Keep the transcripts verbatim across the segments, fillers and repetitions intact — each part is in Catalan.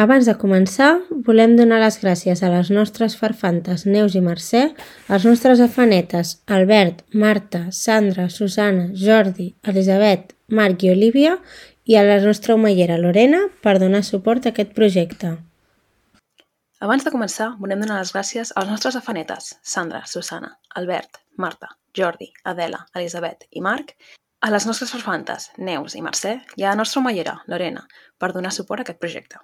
Abans de començar, volem donar les gràcies a les nostres farfantes Neus i Mercè, als nostres afanetes Albert, Marta, Sandra, Susana, Jordi, Elisabet, Marc i Olívia i a la nostra omellera Lorena per donar suport a aquest projecte. Abans de començar, volem donar les gràcies als nostres afanetes Sandra, Susana, Albert, Marta, Jordi, Adela, Elisabet i Marc, a les nostres farfantes Neus i Mercè i a la nostra omellera Lorena per donar suport a aquest projecte.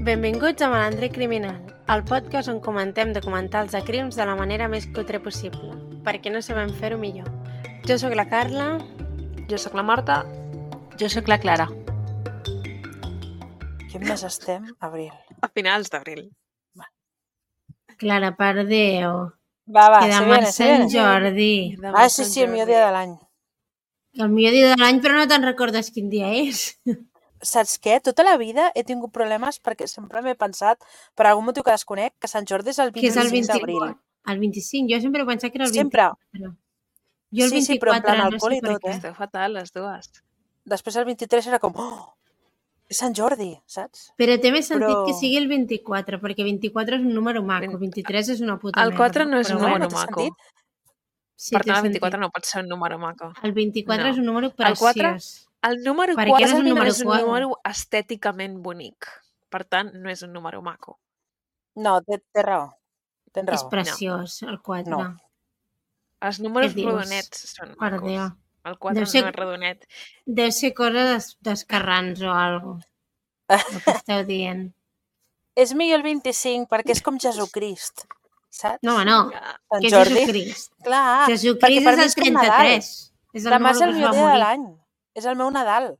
Benvinguts a Malandrer Criminal, el podcast on comentem documentals de crims de la manera més cutre possible, perquè no sabem fer-ho millor. Jo sóc la Carla. Jo sóc la Marta. Jo sóc la Clara. Quin mes estem? Abril. A finals d'abril. Clara, per Déu. Va, va, Que se demà viene, és se Sant viene. Jordi. Ah, sí, sí, el millor dia de l'any. El millor dia de l'any, però no te'n recordes quin dia és. Saps què? Tota la vida he tingut problemes perquè sempre m'he pensat, per algun motiu que desconec, que Sant Jordi és el Que és el vint-i-cinc vint-i-cinc. d'abril. El vint-i-cinc, jo sempre he pensat que era el Sempre. vint-i-quatre. Jo el Sí, sí, però en vint-i-quatre, plan no alcohol sé i per tot, què. eh? Esteu fatal, les dues. Després el vint-i-tres era com, oh, és Sant Jordi, saps? Però té més sentit Però- que sigui el vint-i-quatre, perquè vint-i-quatre és un número maco, Vint- vint-i-tres és una puta El merda. quatre no és però un bueno, número té maco. sentit? sí, Per té tant, el sentit. vint-i-quatre no pot ser un número maco. El vint-i-quatre No. és un número El quatre- preciós. El número Per què quatre no és un no número és un quatre? número estèticament bonic. Per tant, no és un número maco. No, té, té raó. Tens És raó. preciós, el quatre. No. Els números Què dius? rodonets són Per macos. Déu. El quatre Deu ser- no és rodonet. Deu ser cosa des- d'escarrans o alguna cosa, el que esteu dient. És millor el vint-i-cinc perquè és com Jesucrist, saps? No, home, no, Sant que és Jordi. Jesucrist. Clar, perquè Jesucrist per és mi el és com Nadal. trenta-tres. És el Demà és número el que es millor va dia de morir. l'any. És el meu Nadal,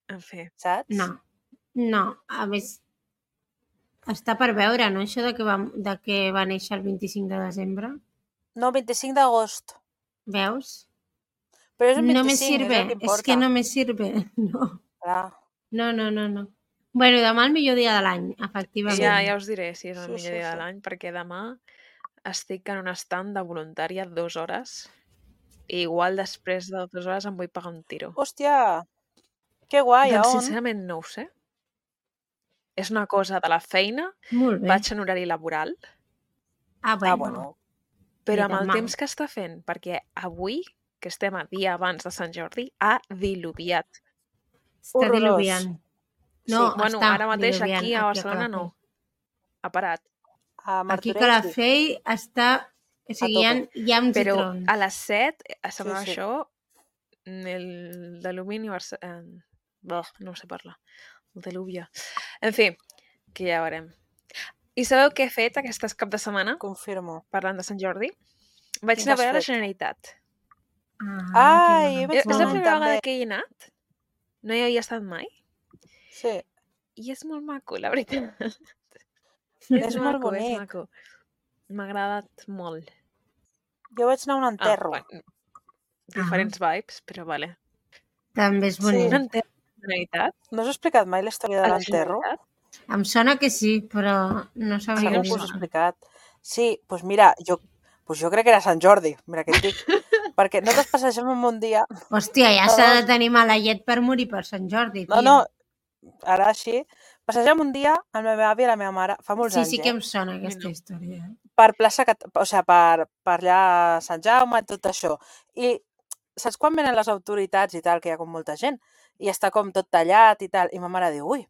En fi. saps? No, no, a més, està per veure, no, això de que va, de que va néixer el vint-i-cinc de desembre. No, vint-i-cinc d'agost. Veus? Però és un No me vint-i-cinc, sirve, és el que és importa. que no me sirve. No, Clar. no, no, no. no. Bueno, demà el millor dia de l'any, efectivament. Ja, ja us diré si és el Sí, millor sí, dia de sí. l'any, perquè demà estic en un estand de voluntària dues hores i igual després de dues hores em vull pagar un tiro. Hòstia, que guai, a Doncs on? sincerament no ho sé. És una cosa de la feina, Molt bé. vaig en horari laboral, Ah, bueno. Ah, bueno. però Ni amb tan el mal. temps que està fent, perquè avui, que estem a dia abans de Sant Jordi, ha diluviat. Està Horrorós. diluviant. No, Sí. Bueno, està ara mateix diluviant aquí a Barcelona Calafell. no. Ha parat. A Aquí a Martorell, sí. Calafell està... O sigui, hi ha, tope. hi ha uns Però i trons. a les set semblava Sí, sí. això el d'alumini Barce- eh, bah, no sé parlar. El deluvia. En fi, que ja veurem. I sabeu què he fet aquest cap de setmana? Confirmo. Parlant de Sant Jordi? Vaig Què anar a has veure la fet? Generalitat. Ah, Ai, que vaig És anar la Molt. primera també. vegada que hi he anat. No hi havia estat mai. Sí, I és molt maco, la veritat. és molt maco, és bonic. maco. M'ha agradat molt. Jo vaig anar a un enterro. Ah, bueno, diferents vibes, però vale. també és Sí. bonic. Un enterro de la Generalitat? No us he explicat mai la història de A la l'enterro? Generalitat? Em sona que sí, però no sabria Segur ni que us he mal. explicat. Sí, doncs mira, jo, pues jo crec que era Sant Jordi, mira què et dic. Perquè nosaltres passegem en un dia... Hòstia, ja No, s'ha no. de tenir mala llet per morir per Sant Jordi, tio. No, no, ara així. Passegem un dia amb la meva àvia i la meva mare, fa molts Sí, anys, sí que eh? em sona aquesta no. història. eh? Per plaça, Cat- o sigui, per, per allà a Sant Jaume i tot això. I saps quan venen les autoritats i tal, que hi ha com molta gent, i està com tot tallat i tal, i ma mare diu, ui,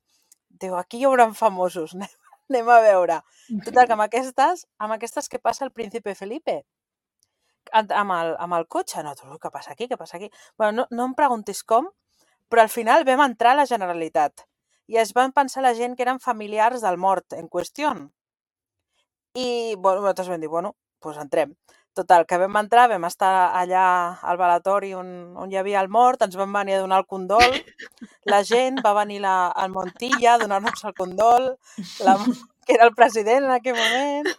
diu, aquí hi haurà famosos, anem, anem a veure. Total, que amb aquestes, amb aquestes què passa el príncipe Felipe? Amb amb el, amb el cotxe, no, tu, què passa aquí, què passa aquí? Bueno, no, no em preguntis com, però al final vam entrar a la Generalitat i es van pensar la gent que eren familiars del mort en qüestió. I, bueno, nosaltres vam dir, bueno, doncs entrem. Total, que vam entrar, vam estar allà al velatori on, on hi havia el mort, ens van venir a donar el condol, la gent, va venir la, el Montilla a donar-nos el condol, la, que era el president en aquell moment,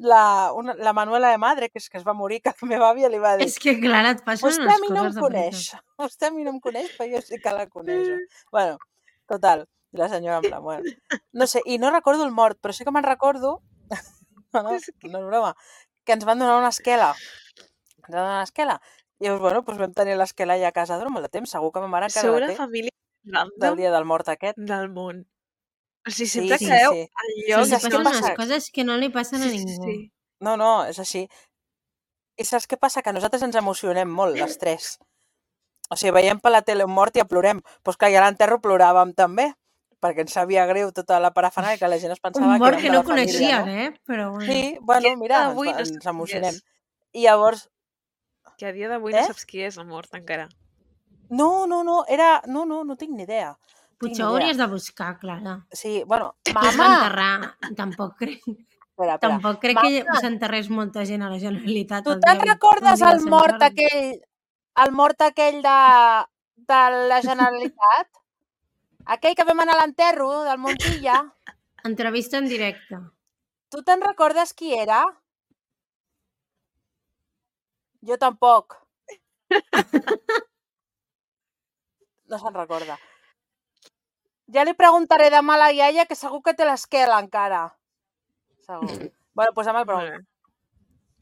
la, una, la Manuela de Madre, que és que es va morir, que la meva àvia li va dir, És que, clar, et passen vostè unes a mi no em coses de coneix, veritat. vostè a mi no em coneix, però jo sí que la coneixo. Bueno, total, i la senyora en plan, bueno, no sé, i no recordo el mort, però sí que me'n recordo, no, no, És que- no és broma, que ens van donar una esquela, ens van donar una esquela, I llavors, bueno, doncs vam tenir l'esquela allà a casa durant molt de temps. Segur que ma mare encara Sou la la té, família del random dia del mort aquest. del món. O sigui, Sí, sempre sí, caeu sí. en Sí, llocs... li saps què passen passa? unes coses que no li passen a Sí, sí, ningú. sí. No, no, és així. I saps què passa? Que nosaltres ens emocionem molt, les tres. O sigui, veiem per la tele un mort i ja plorem. Doncs clar, i a l'enterro ploràvem també, perquè ens sabia greu tota la parafernàlia, que la gent es pensava Un que mort érem que de no la família, coneixien, no? eh? Però bueno. Sí, bueno, Que a mira, dia ens, d'avui no ens saps qui emocionem. és. I llavors... Que a dia d'avui Eh? no saps qui és el mort encara. No, no, no, era... No, no, no tinc ni idea. Tinc Potser ni ho idea. hauries de buscar, Clara. Sí, bueno, Qui es va mama! enterrar? Tampoc crec, Espera, espera. tampoc crec Mama, que s'enterrés molta gent a la Generalitat tu el te'n dia, el recordes dia el de Sant mort Jordi? aquell, el mort aquell de, de la Generalitat? Aquell que vam anar a l'enterro del Montilla? Entrevista en directe. Tu te'n recordes qui era? Jo tampoc. No se'n recorda. Ja li preguntaré demà a la iaia, que segur que té l'esquela encara. Segur. Bueno, doncs demà el Molt pregunto. bé.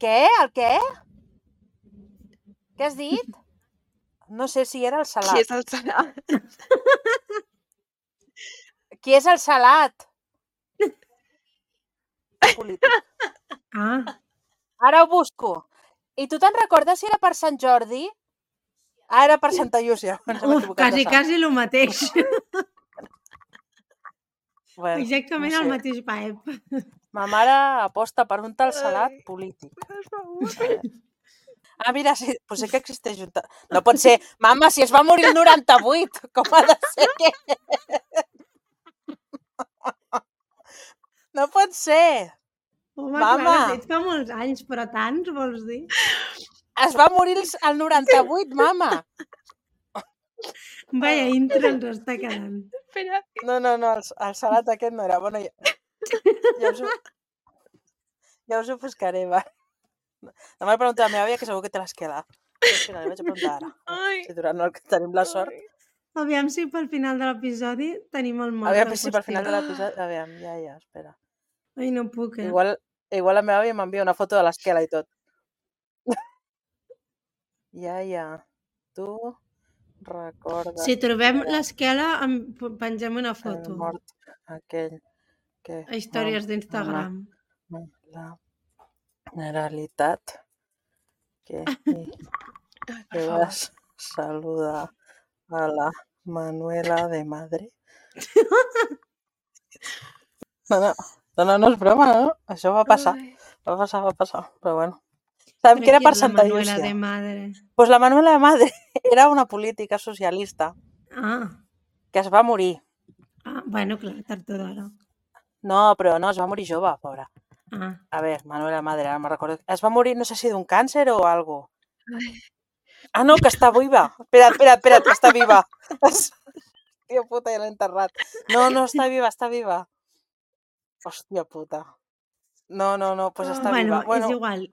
Què? El què? Què has dit? No sé si era el Qui salat. és el Salat? Qui és el salat? Polític. Ah, Ara ho busco. I tu te'n recordes si era per Sant Jordi? Ah, era per Santa Llúcia. Ens hem uf, equivocat de quasi, sant. quasi el mateix. Bueno, Exactament no el sé. mateix paep. Ma mare aposta per un tal salat Ai. polític. Per favor. A veure. Ah, mira, sí, pues sí que existeix un... ta- No pot ser. Mama, si es va morir el noranta-vuit, com ha de ser que... No pot ser. Home, Mama. Clara, ets fa molts anys, però tants, vols dir? Es va morir el el noranta-vuit, mama. Vaya intro ens està quedant. Espera. No, no, no, el, el salat aquest no era. Bueno, ja, ja, us, ho, ja us ho buscaré, va. Demà li pregunto a la meva àvia, que segur que té l'esquela. Sí, li vaig a preguntar ara. Ai. Si durant el que tenim la sort. Ai. Aviam si pel final de l'episodi tenim el mort. Aviam al si pel final de costat. l'episodi... Aviam, ja, ja, espera. Ai, no puc, eh? Igual, igual la meva àvia m'envia una foto de l'esquela i tot. Ja, ja. Tu recordes... Si trobem l'esquela, em pengem una el foto. mort aquell que... A històries d'Instagram. La Generalitat que hi Ai, per que favor. vas saludar a la Manuela de Madre. No, no, no, no, no és broma, no? Això va passar, Ai. va passar, va passar, però bueno. Sabem que era per Santa La Manuela Llúcia. de Madre. Pues la Manuela de Madre era una política socialista Ah, que es va morir. ah bueno, clar, tard o d'hora. No, però no, es va morir jove, pobra. Ah, A veure, Manuela Madre, ara me'n recordo. Es va morir, no sé si d'un càncer o algo. Ai. Ah, no, que està viva. Espera, espera, espera, que està viva. Hòstia puta, ja l'he enterrat. No, no, està viva, està viva. Hòstia puta. No, no, no, pues està bueno, viva. Bueno, és igual.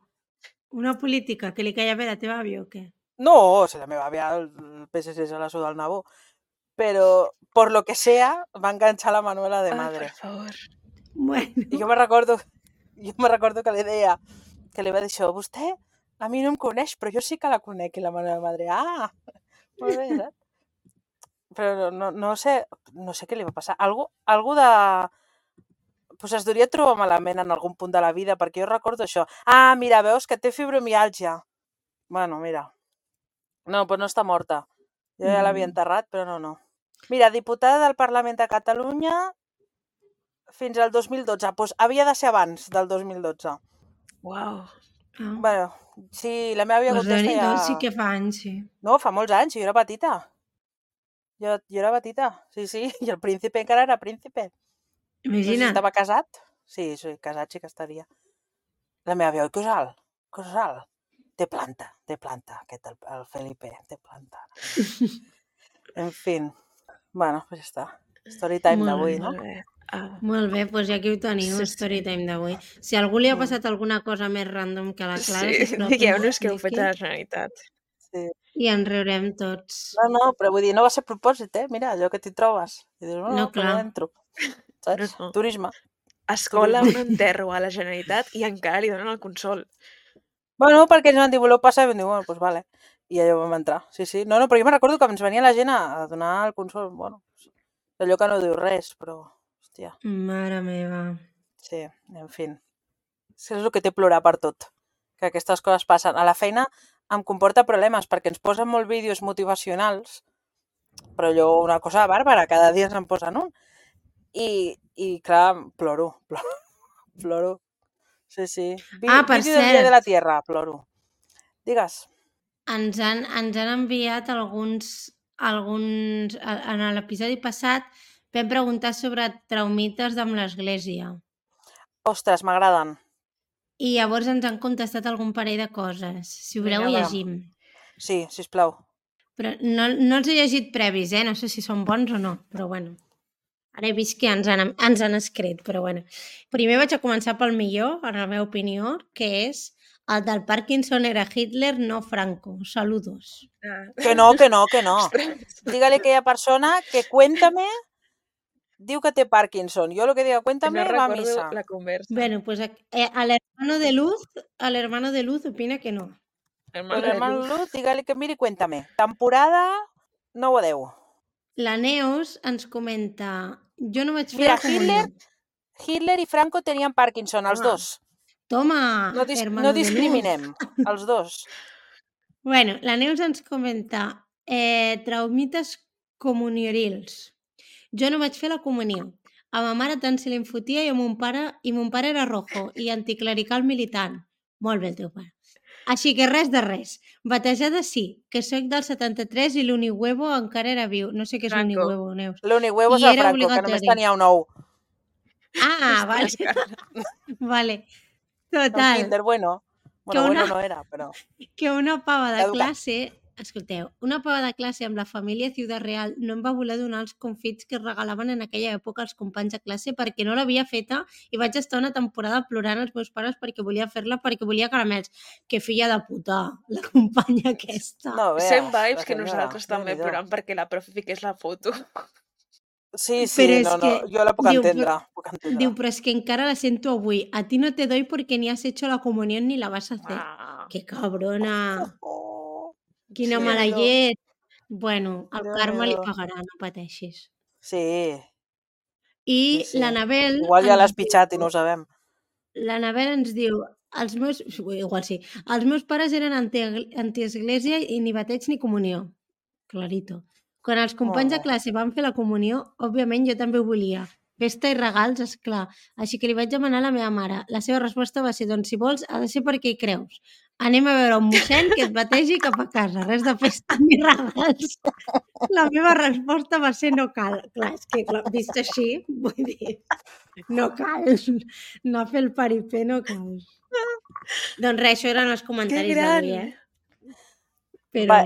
Una política que li caia bé a la teva àvia o què? no, si la meva àvia, el P S C se la suda al nabó. Pero, por lo que sea, va enganxar la Manuela de Ai, Madre. per favor. Bueno, I jo me recordo, jo me recordo que li deia, que li va dir això, vostè a mi no em coneix, però jo sí que la conec, i la Manuela de Madre, ah, molt bé, saps? Però no, no sé, no sé què li va passar. Algú, algú de... Pues es devia trobar malament en algun punt de la vida, perquè jo recordo això. Ah, mira, veus que té fibromiàlgia. Bueno, mira. No, pues no està morta. Jo ja l'havia enterrat, però no, no. Mira, diputada del Parlament de Catalunya fins al dos mil dotze. Pues havia de ser abans del dos mil dotze. Uau. ah. Bueno, sí, la meva àvia Pues contesta Déu-n'hi-do, ja... sí que fa anys, sí. No, fa molts anys, jo era petita. Jo, jo era petita, sí, sí. I el príncipe encara era príncipe. No sé si Imagina't. estava casat. Sí, sí, casat sí que estaria. La meva àvia, oi, que és alt, que és alt. Té planta, té planta, aquest, el, el Felipe, té planta. En fi, bueno, pues ja està. Storytime Molt d'avui, bé, no? Molt bé. Ah. Molt bé, doncs ja aquí ho teniu, Sí, sí, sí. Storytime d'avui. Si a algú li ha Mm. passat alguna cosa més random que a la Clara, Sí, sisplau, que digueu-nos ens què heu fet expliqui a la Generalitat. Sí. i ens riurem tots. No, no, però vull dir, no va ser a propòsit, eh? Mira, allò que t'hi trobes. I dius, no, No, no, però clar. ja entro. Saps? No, no. Turisme. Escola, un enterro a la Generalitat i encara li donen el consol. Bueno, perquè ens van dir, voleu passar? I vam dir, bueno, doncs vale. I allò vam entrar, sí, sí. No, no, però jo me'n recordo que ens venia la gent a, a donar el consol, bueno, allò que no diu res, però, hòstia, Mare meva. sí, en fi. És el que té plorar per tot, que aquestes coses passen. A la feina em comporta problemes perquè ens posen molt vídeos motivacionals, però allò una cosa bàrbara, cada dia se'n posen un. I, i clar, ploro, ploro, ploro. Sí, sí. Vi, Ah, per vídeo del Dia de la cert, Tierra, ploro. Digues. ens han, ens han enviat alguns, alguns... a- En l'episodi passat vam preguntar sobre traumites amb l'església. Ostres, m'agraden. I llavors ens han contestat algun parell de coses. Si voleu, Vinga, ho va. llegim. Sí, sisplau. Però no, no els he llegit previs, eh? No sé si són bons o no, però bueno. Ara he vist que ens han, ens han escrit, però bueno. Primer vaig a començar pel millor, en la meva opinió, que és el del Parkinson era Hitler, no Franco. Saludos. Ah. Que no, que no, que no. Ostres. Dígale a aquella persona que cuéntame diu que té Parkinson. Jo lo que diga No cuéntame va a recordo misa. la conversa. Bueno, pues eh, al hermano de Luz, al hermano de Luz opina que no. Hermano Pues de hermano luz. Luz, dígale que miri, cuéntame. Temporada nou o deu. La Neus ens comenta, jo no vaig fer Mira, la comunió. Hitler, Hitler i Franco tenien Parkinson, els Home. dos. Toma, No, dis hermano no de Luz. discriminem, els dos. Bueno, la Neus ens comenta eh, traumites comuniorils. Jo no vaig fer la comunió. A ma mare tant se li en fotia i a mon pare, i mon pare era rojo i anticlerical militant. Molt bé el teu pare. Així que res de res. Batejada sí, que soc del setanta-tres i l'unihuevo encara era viu. No sé què és Franco. l'unihuevo, Neus. L'unihuevo és I el era Franco, que només obligatori. tenia un ou. Ah, vale. Ostres, cara. Vale. Un Total. Kinder bueno. Que Bueno, una- bueno no era, però... que una pava de Caducat. classe, escolteu, una pava de classe amb la família Ciudad Real no em va voler donar els confits que es regalaven en aquella època als companys de classe perquè no l'havia feta i vaig estar una temporada plorant als meus pares perquè volia fer-la, perquè volia caramels. Que filla de puta, la companya aquesta. No veas, Same la vibes que senyora. nosaltres també Déu-n'hi-do. plorant perquè la profe fiqués la foto. Sí, sí, Però és no, no, que jo la puc diu, entendre. però- Puc entendre. Diu, però es que encara la sento avui. A ti no te doy porque ni has hecho la comunión ni la vas a hacer. Uau. Que cabrona. Oh, Quina Sí, mala Déu-n'hi-do. llet. Bueno, el Déu-n'hi-do. karma li pagarà, no pateixis. Sí, I sí, sí. l'Anabel... Igual ja ens l'has pitjat i diu- no ho sabem. L'Anabel ens diu... Els meus... Igual sí. Els meus pares eren anti- antiesglésia i ni bateig ni comunió. Clarito. Quan els companys de Molt bé. classe van fer la comunió, òbviament jo també ho volia. Festa i regals, esclar. Així que li vaig demanar a la meva mare. La seva resposta va ser, doncs si vols, ha de ser perquè hi creus. Anem a veure un mossèn que et bategi cap a casa. Res de festa ni regals. La meva resposta va ser no cal. Clar, és que clar, vist així, vull dir, no cal. No fer el paripé no cal. Doncs res, això eren els Que comentaris gran! d'avui, eh? Però... Va.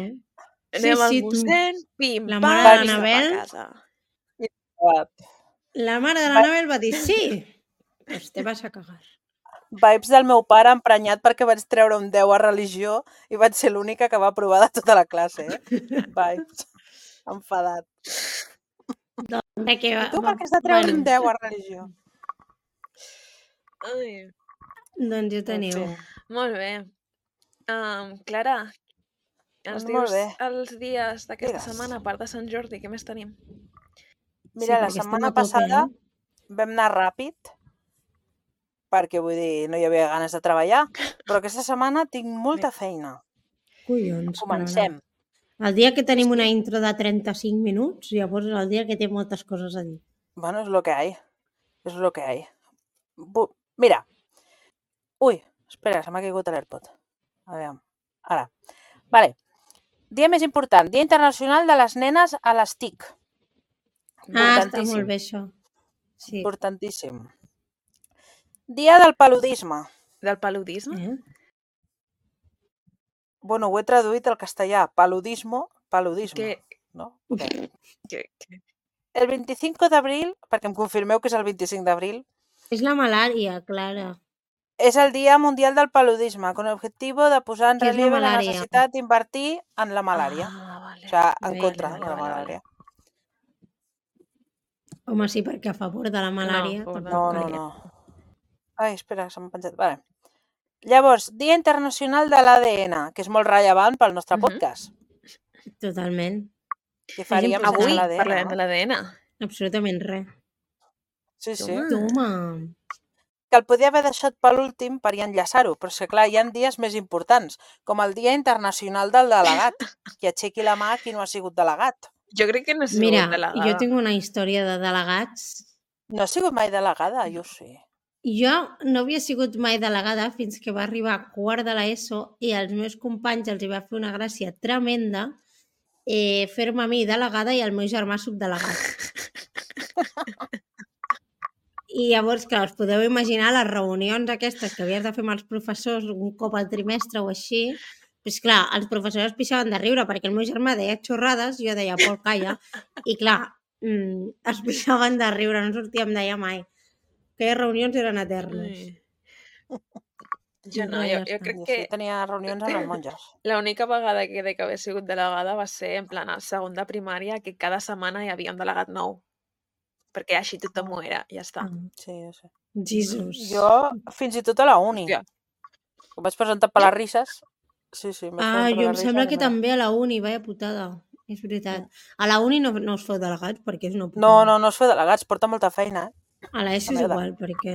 Anem al sí, tu. mossèn, pim, La pam, mare de cap a l'Anabel. casa. La mare de l'Anabel va dir sí. Pues te vas a cagar. Vibes del meu pare emprenyat perquè vaig treure un deu a religió i vaig ser l'única que va aprovar de tota la classe, eh? Vibes. Enfadat. De que va, I tu va, per què has de treure bueno, un deu a religió? Ai, doncs ja En teniu. fi. molt bé. Um, Clara, ens Doncs molt dius bé. els dies d'aquesta Digues. setmana, a part de Sant Jordi, què més tenim? Mira, la perquè estem setmana a tope, passada eh? vam anar ràpid perquè, vull dir, no hi havia ganes de treballar, però aquesta setmana tinc molta feina. Collons, Comencem. Clara. El dia que tenim Sí. una intro de trenta-cinc minuts, llavors és el dia que té moltes coses a dir. Bueno, es lo que hay. Es lo que hay. Bu Mira. Ui, espera, se m'ha caigut l'AirPod. A veure, ara. Vale. Dia més important, Dia Internacional de les Nenes a les T I C. Ah, està Importantíssim. molt bé això. Sí. Importantíssim. Dia del paludisme. Del paludisme? Eh? Bueno, ho he traduït al castellà. Paludismo, paludisme. Que, No? Okay. que, que... El veinticinco d'abril, perquè em confirmeu que és el vint-i-cinc d'abril, És la malària, Clara. es el Día Mundial del Paludisme, con el objetivo de posar en Què és la relieve la malària? necessitat d'invertir en la malària. Ah, vale. O sigui, en Vale, contra vale, de la vale, malària. Home, sí, perquè a favor de la malària... a favor de la No, tampoc no, calia. no. Ai, espera, se m'ha penjat. Vale. Llavors, Dia Internacional de l'A D N, que és molt rellevant pel nostre Mhm. podcast. Totalment. Què faríem important. sense Avui l'A D N, parlarem no? de l'A D N. Absolutament res. Sí, sí. Toma. Toma. Que el podia haver deixat per l'últim per enllaçar-ho, però és que clar, hi ha dies més importants, com el Dia Internacional del Delegat, que aixequi la mà qui no ha sigut delegat. Jo crec que no he sigut Mira, delegada. jo tinc una història de delegats. No ha sigut mai delegada, jo sí. Jo no havia sigut mai delegada fins que va arribar a quart de l'ESO i als meus companys els hi va fer una gràcia tremenda eh, fer-me a mi delegada i al meu germà subdelegat. I llavors, clar, us podeu imaginar les reunions aquestes que havies de fer amb els professors un cop al trimestre o així. Doncs clar, els professors es pixaven de riure perquè el meu germà deia xorrades, jo deia Pol, calla, i clar, mm, es pixaven de riure, no sortíem d'allà mai. Aquelles reunions eren eternes. Ai. Jo no, Res, jo, ja jo està. crec Jo que sí tenia reunions amb les monges. l'única vegada que crec que haver sigut delegada va ser en plan al segon de primària, que cada setmana hi havia un delegat nou. Perquè així tothom ho era, ja està. Ah, Sí, jo sé. Jesus. Jo, fins i tot a la uni. Hòstia. Em vaig presentar per les risses. Sí, sí, em vaig Ah, presentar per jo em les sembla risses que i mira. també a la uni, vaya putada. És veritat. A la uni no, no us feu delegats perquè és una putada. No, no, no es fa delegats, porta molta feina, eh? A l'ESO és Merda. igual, perquè...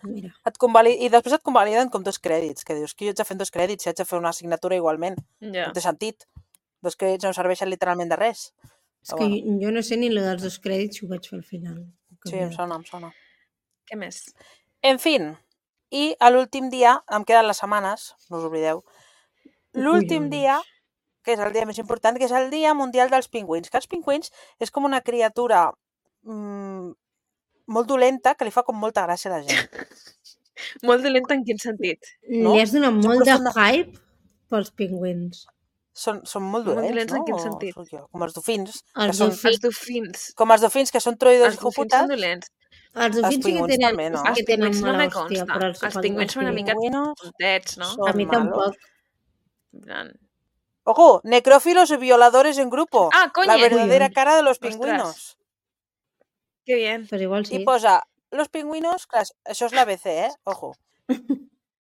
Mira. Et convali... I després et convaliden com dos crèdits, que dius que jo haig de fer dos crèdits si haig de fer una assignatura igualment. Ja. No té sentit. Dos crèdits no serveixen literalment de res. És Però que bueno, jo no sé ni lo dels dos crèdits si ho vaig fer al final. sí, em sona, em sona. Què més? En fin, i a l'últim dia, em queden les setmanes, no us oblideu, l'últim Collons. dia, que és el dia més important, que és el Dia Mundial dels Pingüins, que els pingüins és com una criatura mm, molt dolenta que li fa com molta gràcia a la gent. Molt dolenta en quin sentit? No? Li has donat Són molt de profunda- hype pels pingüins. Són, són molt Molt dolents, dolents en no? quin O sentit? sóc jo? Com els dofins, Els que són, dofins. Els dofins. com els dofins que són troïdors Els i dofins són joputats. dolents. Els dofins sí que pingüins tenen, també, no? sí Els que tenen pingüins no mala me hòstia, consta. però els, Els pingüins són una mica Pingüinos tontets, no? són A mi malos. tampoc. En plan... Ojo, necrófilos y violadores en grupo. Ah, coño! La verdadera Collons. cara de los Ostras. pingüinos. Que bien. Però igual sí. Y posa, los pingüinos, clar, això és la B C, ¿eh? Ojo.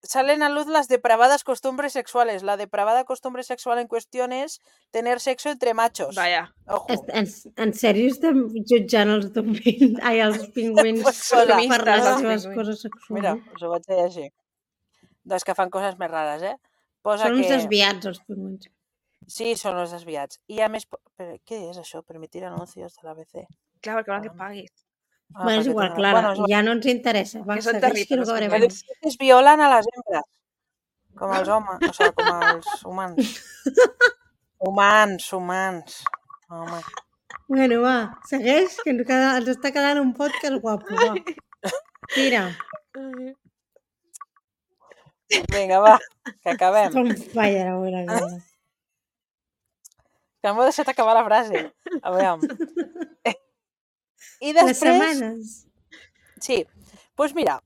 Salen a luz las depravadas costumbres sexuales. La depravada costumbre sexual en cuestión es tener sexo entre machos. Vaya. Ojo. En, en, en sèrio estem jutjant els dofins, ai, els pingüins Pues per hola. les Feministes, seves els coses Mira, sexuals. us ho vaig dir així. Doncs que fan coses més rares, eh? Posa Són uns que... desviats, els pingüins. Sí, són els desviats. I a més... po- Però, què és això? Permitir anuncios de la B C. Clar, perquè volen que paguis. Ah, Bueno, és perquè igual, tenen- Clara, Bueno, és igual. ja no ens interessa. Va, Que són segueix, que no terribles, acabarem. Que pingüins. diu que es violen a les hembres. Com els homes, o sigui, com els humans. Humans, humans. Home. Bueno, va, segueix, que ens, queda, ens està quedant un podcast guapo, va. Tira, Vinga, va, que acabem. com falla la bona cosa. Que m'ho he deixat acabar la frase. A veure. I Les després... setmanes. Sí, doncs pues mira,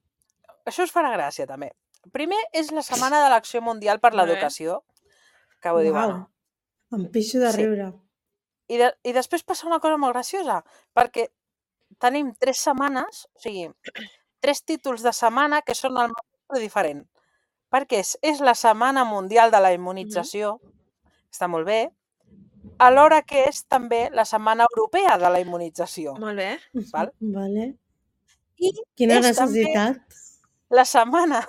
això us farà gràcia també. Primer és la Setmana de l'Acció Mundial per Molt bé. l'Educació, que vull dir, Uau, bueno. em pixo de Sí. riure. I, de, I després passa una cosa molt graciosa, perquè tenim tres setmanes, o sigui, tres títols de setmana que són el mateix però diferent. Perquè és, és la Setmana Mundial de la Immunització, està molt bé, alhora que és també la Setmana Europea de la Immunització. Molt bé. Val? Vale. I Quina és també necessitat. la Setmana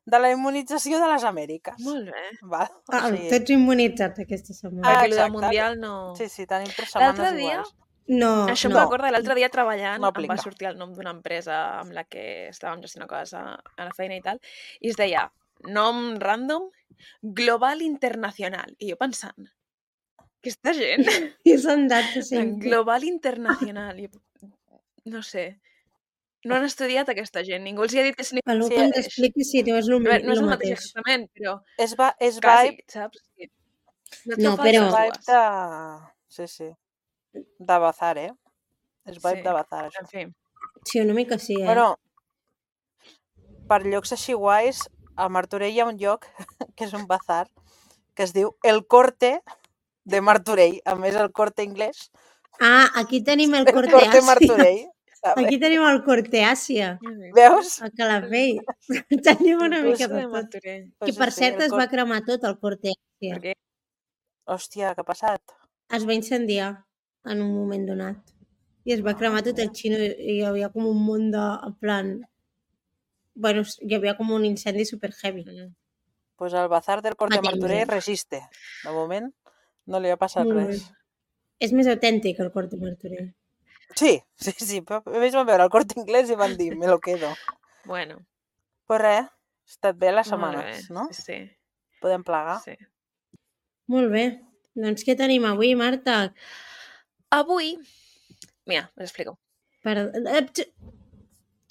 de la Immunització de les Amèriques. Molt bé. Val? O Ah, sigui, tots immunitzats aquesta setmana. Ah, Perquè el del exacte. Mundial no... sí, sí, tenim tres L'altre setmanes dia, iguals. No, això em no. recorda, l'altre dia treballant No em aplica. va sortir el nom d'una empresa amb la que estàvem gestionant coses a, a la feina i tal, i es deia, nom random, Global Internacional. I jo pensant, aquesta gent, I són dates en sempre. Global Internacional, i, no sé, no han estudiat aquesta gent, ningú els hi ha dit que significa. Pel Sí, que ens mateix. expliqui si no és el, A veure, no és el el mateix mateix. exactament, però És, va, és quasi, vibe, saps? Sí. No, No, et fa però- falses vibe dues. de... Sí, sí. De bazar, eh? És vibe Sí. de bazar, això. En fi, Sí, una mica sí, eh? Bueno, per llocs així guais, a Martorell hi ha un lloc que és un bazar que es diu El Corte de Martorell. A més, el Corte inglès. Ah, aquí tenim el El corte Corte Àsia. Martorell. Aquí tenim el Corte Àsia, Veus? a Calafell. Tenim una El mica curso de de tot. Martorell. Que Pues per sí, cert el es cor- va cremar tot el Corte Àsia. Per què? Hòstia, què ha passat? Es va incendiar en un moment donat. I es va Ah, cremar tot el mira. xino i hi havia com un munt de... En plan... Bueno, hi havia com un incendi super heavy. Mm. Pues el bazar del Corte Fa temps, Martorell eh? resiste. De moment no li ha passat Molt bé. res. És més autèntic el Corte Martorell. Sí, sí, sí. Però ells van veure el Corte Inglés i van dir, me lo quedo. Bueno, Pues res, ha estat bé les molt bé. setmanes, no? Sí, sí. Podem plegar. sí. Molt bé. Doncs què tenim avui, Marta? Avui, mira, us explico. Per... eh, tx-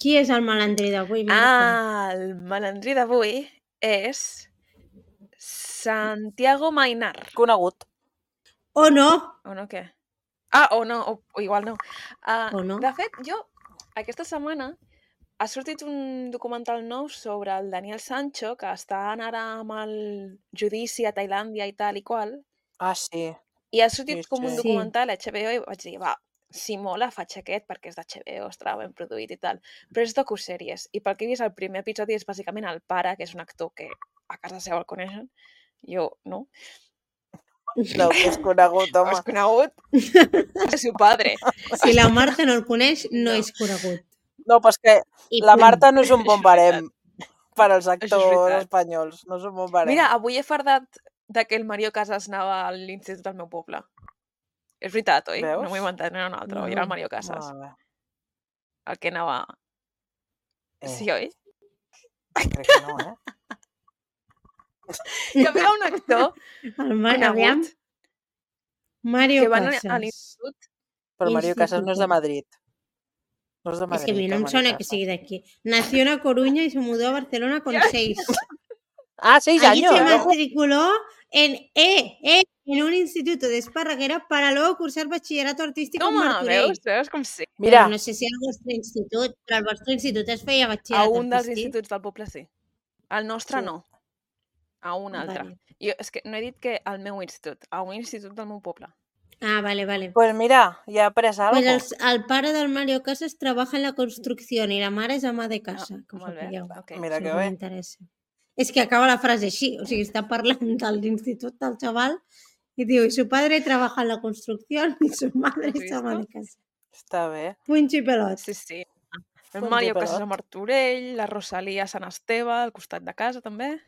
Qui és el malandrí d'avui, Marta? Ah, el malandrí d'avui és Santiago Mainar. Conegut. O no! O no què? Ah, o no, o, o igual no. Uh, O no. De fet, jo, aquesta setmana, ha sortit un documental nou sobre el Daniel Sancho, que estan ara amb el judici a Tailàndia i tal i qual, Ah, sí. i ha sortit Sí, com un sí. documental a H B O i vaig dir, va, si mola, faig aquest perquè és d'H B O, estarà ben produït i tal. Però és docusèries, i pel que he vist, el primer episodi és bàsicament el pare, que és un actor que a casa seu el coneixen, jo no. No, que és conegut, No home. és conegut, és seu padre. Si la Marta no el coneix, no, No. és conegut. No, però és que I la punt. Marta no és un bon Això és barem per als és actors veritat. espanyols. No és un bon barem. Mira, avui he fardat de que el Mario Casas anava a l'institut del meu poble. És veritat, oi? Veus? No m'ho he inventat, no era un altre, oi? Era el Mario Casas, Molt bé. el que anava... Eh, Sí, oi? crec que no, eh? Hi havia un actor El Mar... Aviam. conegut Mario que va anar a Casas. l'institut. Però Mario Casas no és de Instituto. Madrid. No és de Es Madrid. que a mí no el me Mario suena que Casas. sigui de aquí. Nació en A Coruña y se mudó a Barcelona con Ya. seis. Ah, seis Allí años. se ¿eh? matriculó en, eh, eh, en un instituto de Esparraguera para luego cursar bachillerato artístico en Toma, Martorell. veus? Veus com sí? Mira, Però no sé si al vostre institut, però al vostre institut es feia A batxillerat un dels artístic. instituts del poble sí. Al nostre Sí. no. A un altre. Vale. Jo, és que no he dit que al meu institut, a un institut del meu poble. Ah, vale, vale. pues mira, ja he après algo. Pues el, el pare del Mario Casas trabaja en la construcción y la mare és ama de casa, Ah, que us ho molt bé, pilleu. ok. Mira Si que algú bé. m'interessa. És que acaba la frase així, o sigui, està parlant de l'institut del xaval i diu, y su padre trabaja en la construcción y su madre Has es ama de visto? casa. Està bé. Punxo i pelot. Sí, sí. El Punto Mario i Casas a pelot. Martorell, la Rosalia a Sant Esteve, al costat de casa també.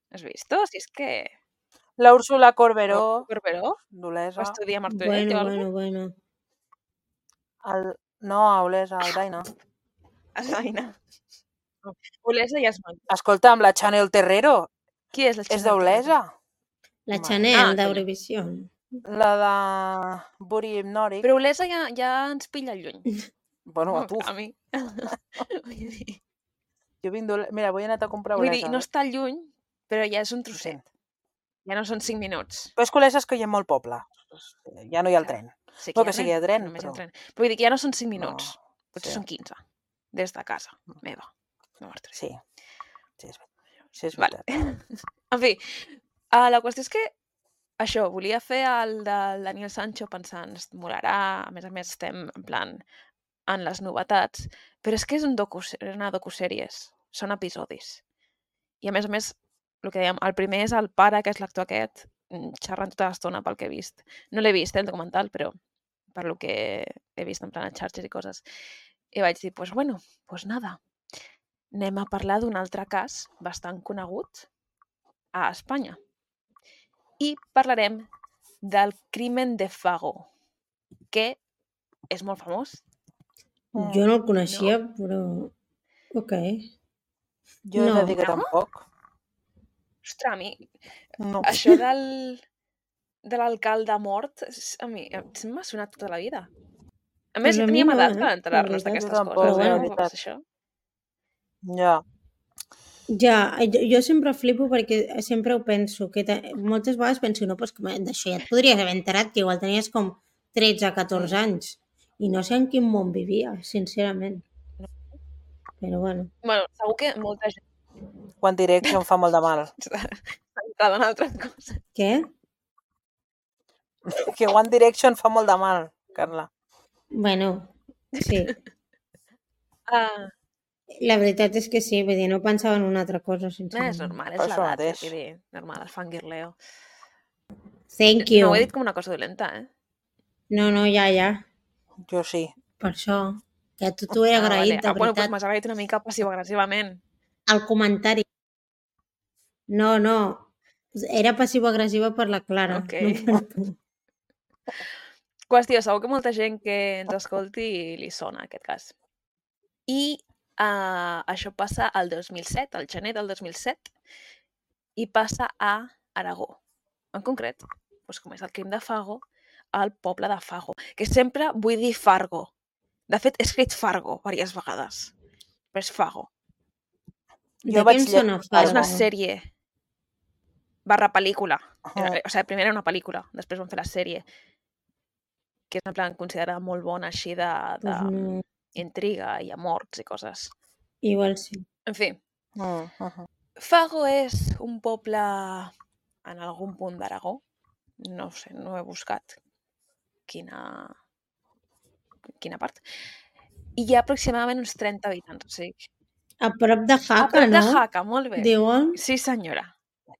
Has vist? Si és que... La Úrsula Corberó, Corberó d'Olesa. va estudiar a Martorell Bueno, o bueno, alguna bueno. El... No, a Olesa, a Aldaina. cosa? Aina. Olesa ja és molt... Escolta, amb la Chanel Terrero, Qui és la és Chanel d'Olesa. La Mare. Chanel Ah, d'Eurovision. La de Buri Hypnotic. Però Olesa ja, ja ens pilla lluny. Bueno, a tu. A mi. Vull dir, Jo vinc d'Olesa. Mira, vull anar a comprar vull Olesa. dir, no està lluny, però ja és un Sí. trosset. Ja no són cinc minuts. Però és que Olesa és que hi ha molt poble. Ja no hi ha el Clar. tren. Sí No, hi ha que sigui de tren, només hi ha però- tren. Però vull dir que ja no són cinc minuts. No, Potser sí. són quinze. Des de casa meva. No Martorell. Sí. Sí, és, sí, és Vale. veritat. En fi, uh, la qüestió és que això, volia fer el del Daniel Sancho pensant, es molarà, a més a més estem en plan en les novetats, però és que és un docu, una docusèries, són episodis. I a més a més, el que dèiem, el primer és el pare, que és l'actor aquest, mm, xerrant tota l'estona pel que he vist. No l'he vist, eh, el documental, però per lo que he vist en plan a xarxes i coses. I vaig dir, pues bueno, pues nada, anem a parlar d'un altre cas bastant conegut a Espanya. I parlarem del crimen de Fago, que és molt famós. Jo no el coneixia, però... Ok. Jo he de No. dir que No? tampoc. Ostres, a mi, No. això del, de l'alcalde mort, és- a mi em- m'ha sonat tota la vida. A més, Pues a ja mi teníem no, edat eh, per la enterar-nos veritat. d'aquestes Jo tampoc, coses. la eh? veritat. Això. Ja. Ja, jo, jo sempre flipo perquè sempre ho penso, que te, moltes vegades penso, no, pues que d'això ja et podries haver enterat, que igual tenies com tretze, catorze anys, i no sé en quin món vivia, sincerament. Però bueno. Bueno, segur que molta gent One Direction fa molt de mal. s'ha centrat en altres coses. Què? Que One Direction fa molt de mal, Carla. Bueno, sí. Ah, La veritat és que sí, vull dir, no pensava en una altra cosa, no, és sincerament. normal, Per és això l'edat, mateix. vull dir, normal, el fangirleo. Thank No ho he you. dit com una cosa dolenta, eh? No, no, ja, ja. Jo sí. Per això. Que a tu t'ho he Ah, vale. agraït, de Ah, bueno, doncs veritat. m'has agraït una mica passiu-agressivament. El comentari. No, no. Era passiu-agressiva per la Clara, Ok. no per tu. Qüestió, segur que molta gent que ens escolti li sona aquest cas. I uh, això passa al dos mil set, al gener del dos mil set, i passa a Aragó. En concret, doncs com és el crim de Fago, al poble de Fago, que sempre vull dir Fargo. De fet, he escrit Fargo diverses vegades, però és Fago. De Jo què vaig em sona llegir És una Fargo? sèrie barra pel·lícula. Uh-huh. O sigui, primer era una pel·lícula, després van fer la sèrie, que és en plan considerada molt bona així de, de Pues no. intriga i amors i coses. Igual sí. En fi, Uh -huh. Fago és un poble en algun punt d'Aragó. No sé, no he buscat quina, quina part. I hi ha aproximadament uns trenta habitants. O sigui, A prop de a Jaca, prop de no? Jaca, molt bé. Diuen? Sí, senyora.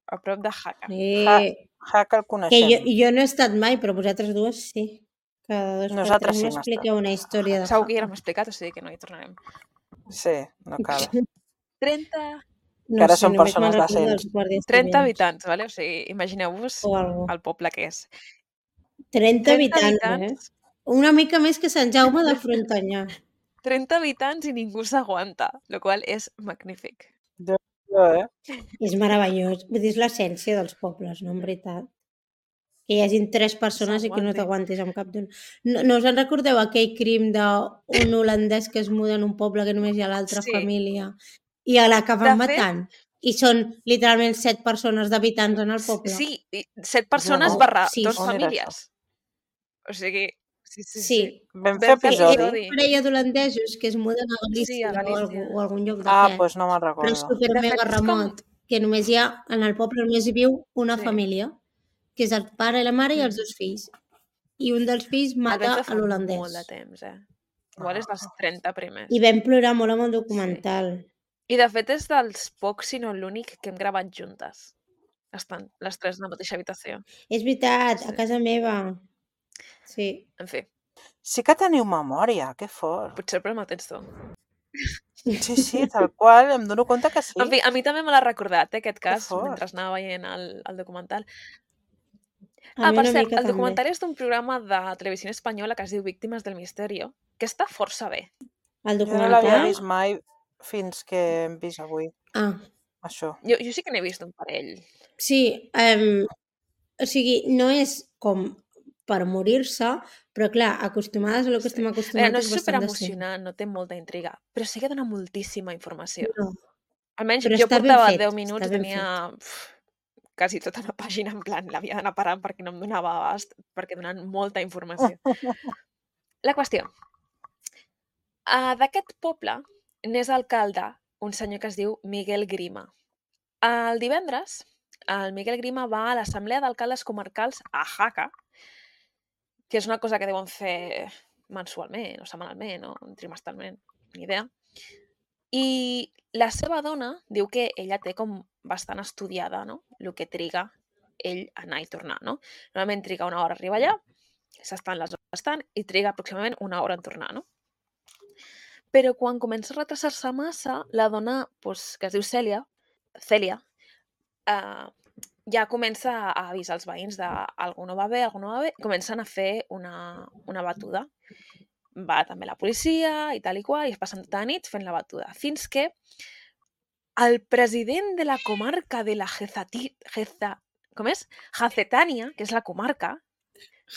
A prop de Jaca. Eh, Jaca el que coneixem. jo, jo no he estat mai, però vosaltres dues sí. Cada dos per Nosaltres tres sí, m'expliqueu una història de Segur que ja Jaca. l'hem explicat, o sigui que no hi tornarem. Sí, no cal. trenta, No Que ara sé, són només me'n persones recordo decents. dels guàrdies trenta civils habitants, vale? O sigui, imagineu-vos o algo. el poble que és. trenta trenta habitants, eh? habitants, Una mica més que Sant Jaume de Frontanyà. trenta habitants i ningú s'aguanta, el qual és magnífic. Jo, jo, eh? És meravellós. Vull dir, és l'essència dels pobles, no? En veritat. Que hi hagin tres persones i que no S'aguantin. t'aguantis amb cap d'un... No, no us en recordeu aquell crim d'un holandès que es muda en un poble que només hi ha l'altra Sí. família i a l'acaben De fet- matant? I són literalment set persones d'habitants en el poble. Sí, i set persones No, barra sí, dos on era famílies. O sigui, sí, sí, sí. Sí. Vam Vam fer fer episodi. episodi. Parella d'holandesos que es muden a Galícia, Sí, a o, Galícia. algú, o algun lloc Ah, d'aquest. doncs no me'n Però és recordo. super De mega fet, és com- remot, que només hi ha, en el poble només hi viu una Sí. família, que és el pare i la mare i els Mm. dos fills. I un dels fills El vam mata fer a fa molt l'holandès. de temps, eh? Igual és dels trenta primers. I vam plorar molt amb el documental. I de fet és dels pocs, si no l'únic, que hem gravat juntes. Estan les tres en la mateixa habitació. És veritat, Sí. a casa meva. Sí. En fi, Sí que teniu memòria, que fort. potser el problema el tens tu. Sí, sí, tal qual, em dono compte que sí. En fi, a mi també me l'ha recordat, eh, aquest cas, fort. mentre anava veient el, el documental. A Ah, mi per una cert, mica el també. documental és d'un programa de televisió espanyola que es diu Víctimes del Misterio, que està força bé. El Jo no l'havia documental... vist mai fins que hem vist avui, Ah, això. Jo, jo sí que n'he vist un parell. sí. Um, o sigui, no és com per morir-se, però clar, acostumades a lo que Sí. estem A veure, acostumats no és és bastant decent. superemocionant, no té molta intriga, però sí que dona moltíssima informació. No, Almenys però jo està ben portava fet, deu està minuts i ben tenia uf, quasi tota la pàgina en plan, l'havia d'anar parant perquè no em donava abast, perquè donen molta informació. La qüestió. Uh, D'aquest poble n'és alcalde un senyor que es diu Miguel Grima. El divendres, el Miguel Grima va a l'Assemblea d'Alcaldes Comarcals a Jaca, que és una cosa que deuen fer mensualment, o setmanalment, o trimestralment, ni idea. I la seva dona diu que ella té com bastant estudiada, no?, el que triga ell a anar i tornar, no? Normalment triga una hora a arribar allà, s'estan les hores estan, i triga aproximadament una hora en tornar, no? Però quan comença a retrasar-se massa, la dona, doncs, que es diu Cèlia, Cèlia, eh, ja comença a avisar els veïns d'algú no va bé, algú no va bé, i comencen a fer una, una batuda. Va també la policia i tal i qual, i es passen tota la nit fent la batuda, fins que el president de la comarca de la Jezati, Jeza, com és? Jacetània, que és la comarca,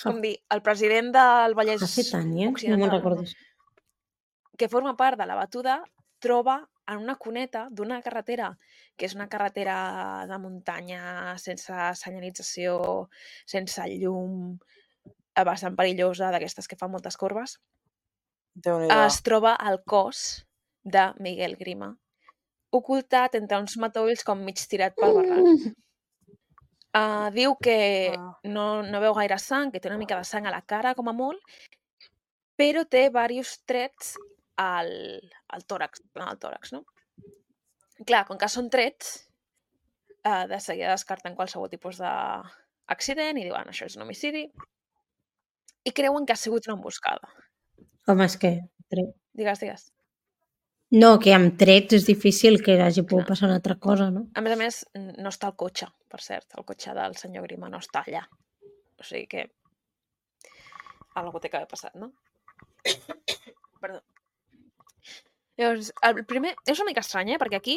com dir, el president del Vallès Jacetània? No me'n Occidental, recordo. que forma part de la batuda, troba en una cuneta d'una carretera, que és una carretera de muntanya, sense senyalització, sense llum, bastant perillosa, d'aquestes que fan moltes corbes, Déu-n'hi-do. es troba el cos de Miguel Grima, ocultat entre uns matolls com mig tirat pel barranc. Uh, diu que Ah. no, no veu gaire sang, que té una mica de sang a la cara, com a molt, però té diversos trets al, al tòrax, al tòrax, no? Clar, com que són trets, eh, de seguida descarten qualsevol tipus d'accident i diuen això és un homicidi i creuen que ha sigut una emboscada. Com és que? Tret. Digues, digues. No, que amb trets és difícil que hagi pogut Clar. passar una altra cosa, no? A més a més, no està el cotxe, per cert. El cotxe del senyor Grima no està allà. O sigui que algú té que haver passat, no? Perdó. Llavors, el primer... És una mica estrany, eh? Perquè aquí,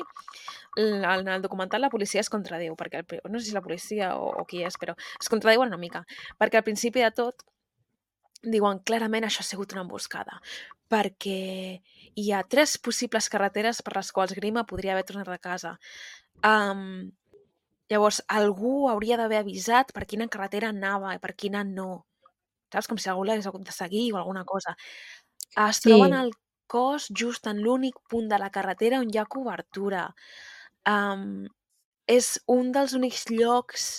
en el documental, la policia es contradiu. Perquè el... No sé si la policia o, o qui és, però es contradiuen una mica. Perquè al principi de tot diuen clarament això ha sigut una emboscada. Perquè hi ha tres possibles carreteres per les quals Grima podria haver tornat a casa. Um, llavors, algú hauria d'haver avisat per quina carretera anava i per quina no. Saps? Com si algú l'hagués hagut de seguir o alguna cosa. Es Sí. troben el cos just en l'únic punt de la carretera on hi ha cobertura. Um, és un dels únics llocs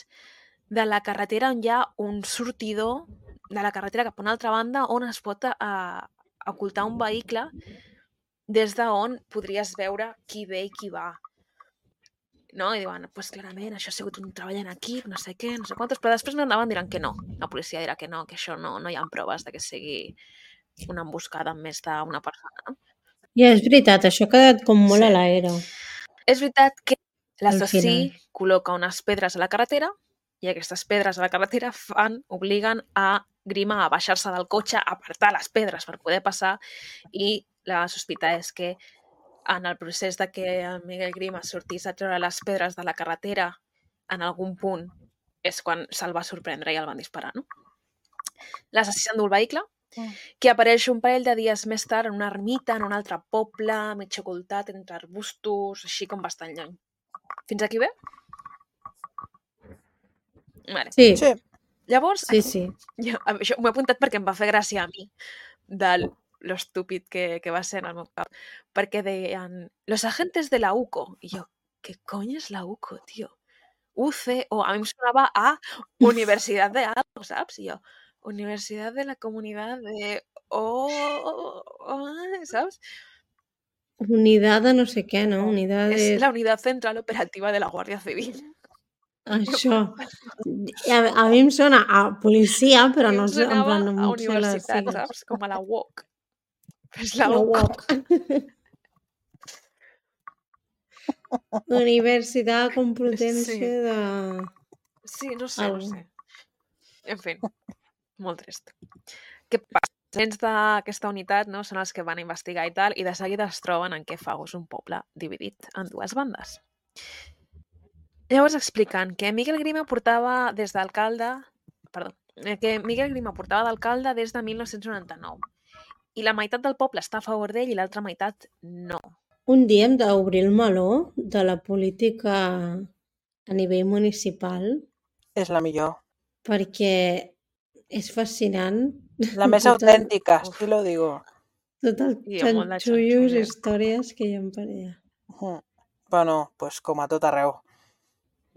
de la carretera on hi ha un sortidor de la carretera cap a una altra banda on es pot uh, ocultar un vehicle des d'on podries veure qui ve i qui va. No? I diuen, pues clarament, això ha sigut un treball en equip, no sé què, no sé quantos, però després no anaven diran que no. La policia dirà que no, que això no, no hi ha proves de que sigui una emboscada amb més d'una persona. No? I és veritat, això ha quedat com molt Sí. a l'aire. És veritat que Al l'assassí final. col·loca unes pedres a la carretera i aquestes pedres a la carretera fan, obliguen a Grima a baixar-se del cotxe, a apartar les pedres per poder passar i la sospita és que en el procés de que el Miguel Grima sortís a treure les pedres de la carretera en algun punt és quan se'l va sorprendre i el van disparar, no? L'assassí s'endú el vehicle, que apareix un parell de dies més tard en una ermita, en un altre poble, mig ocultat entre arbustos, així com bastant lluny. Fins aquí bé? Vale. Sí, Sí. Llavors, sí, sí. jo, això m'ho he apuntat perquè em va fer gràcia a mi de lo estúpid que, que va ser en el meu cap. Perquè deien, los agentes de la U C O. I jo, què cony és la U C O, tio? U C O. A mi em sonava a Universitat de algo, saps? I jo, Universitat de la Comunitat de... Oh, oh, oh, saps? Unidad de no sé què, no? Unidad És de... la Unitat Central Operativa de la Guàrdia Civil. Això. A, a mi em sona a policia, però A mi no em sé, en sonava plan, no a em sé les universitat, sigles. saps? Com a la U O C. És la La U C O. U O C. Universitat Complutense Sí. de... Sí, no sé, Algo. no sé. En fi, molt trist. Què passa? Els agents d'aquesta unitat, no, són els que van investigar i tal, i de seguida es troben en què Fago és un poble dividit en dues bandes. Llavors expliquen que Miguel Grima portava des d'alcalde... Perdó. eh, Que Miguel Grima portava d'alcalde des de mil nou-cents noranta-nou. I la meitat del poble està a favor d'ell i l'altra meitat no. Un dia hem d'obrir el meló de la política a nivell municipal És la millor. perquè és fascinant. La més Tot el- autèntica, Uf. sí lo digo. Tot el I hi ha molt de xanxullos, xanxullo. històries que hi ha per allà. Mm. Bueno, pues com a tot arreu.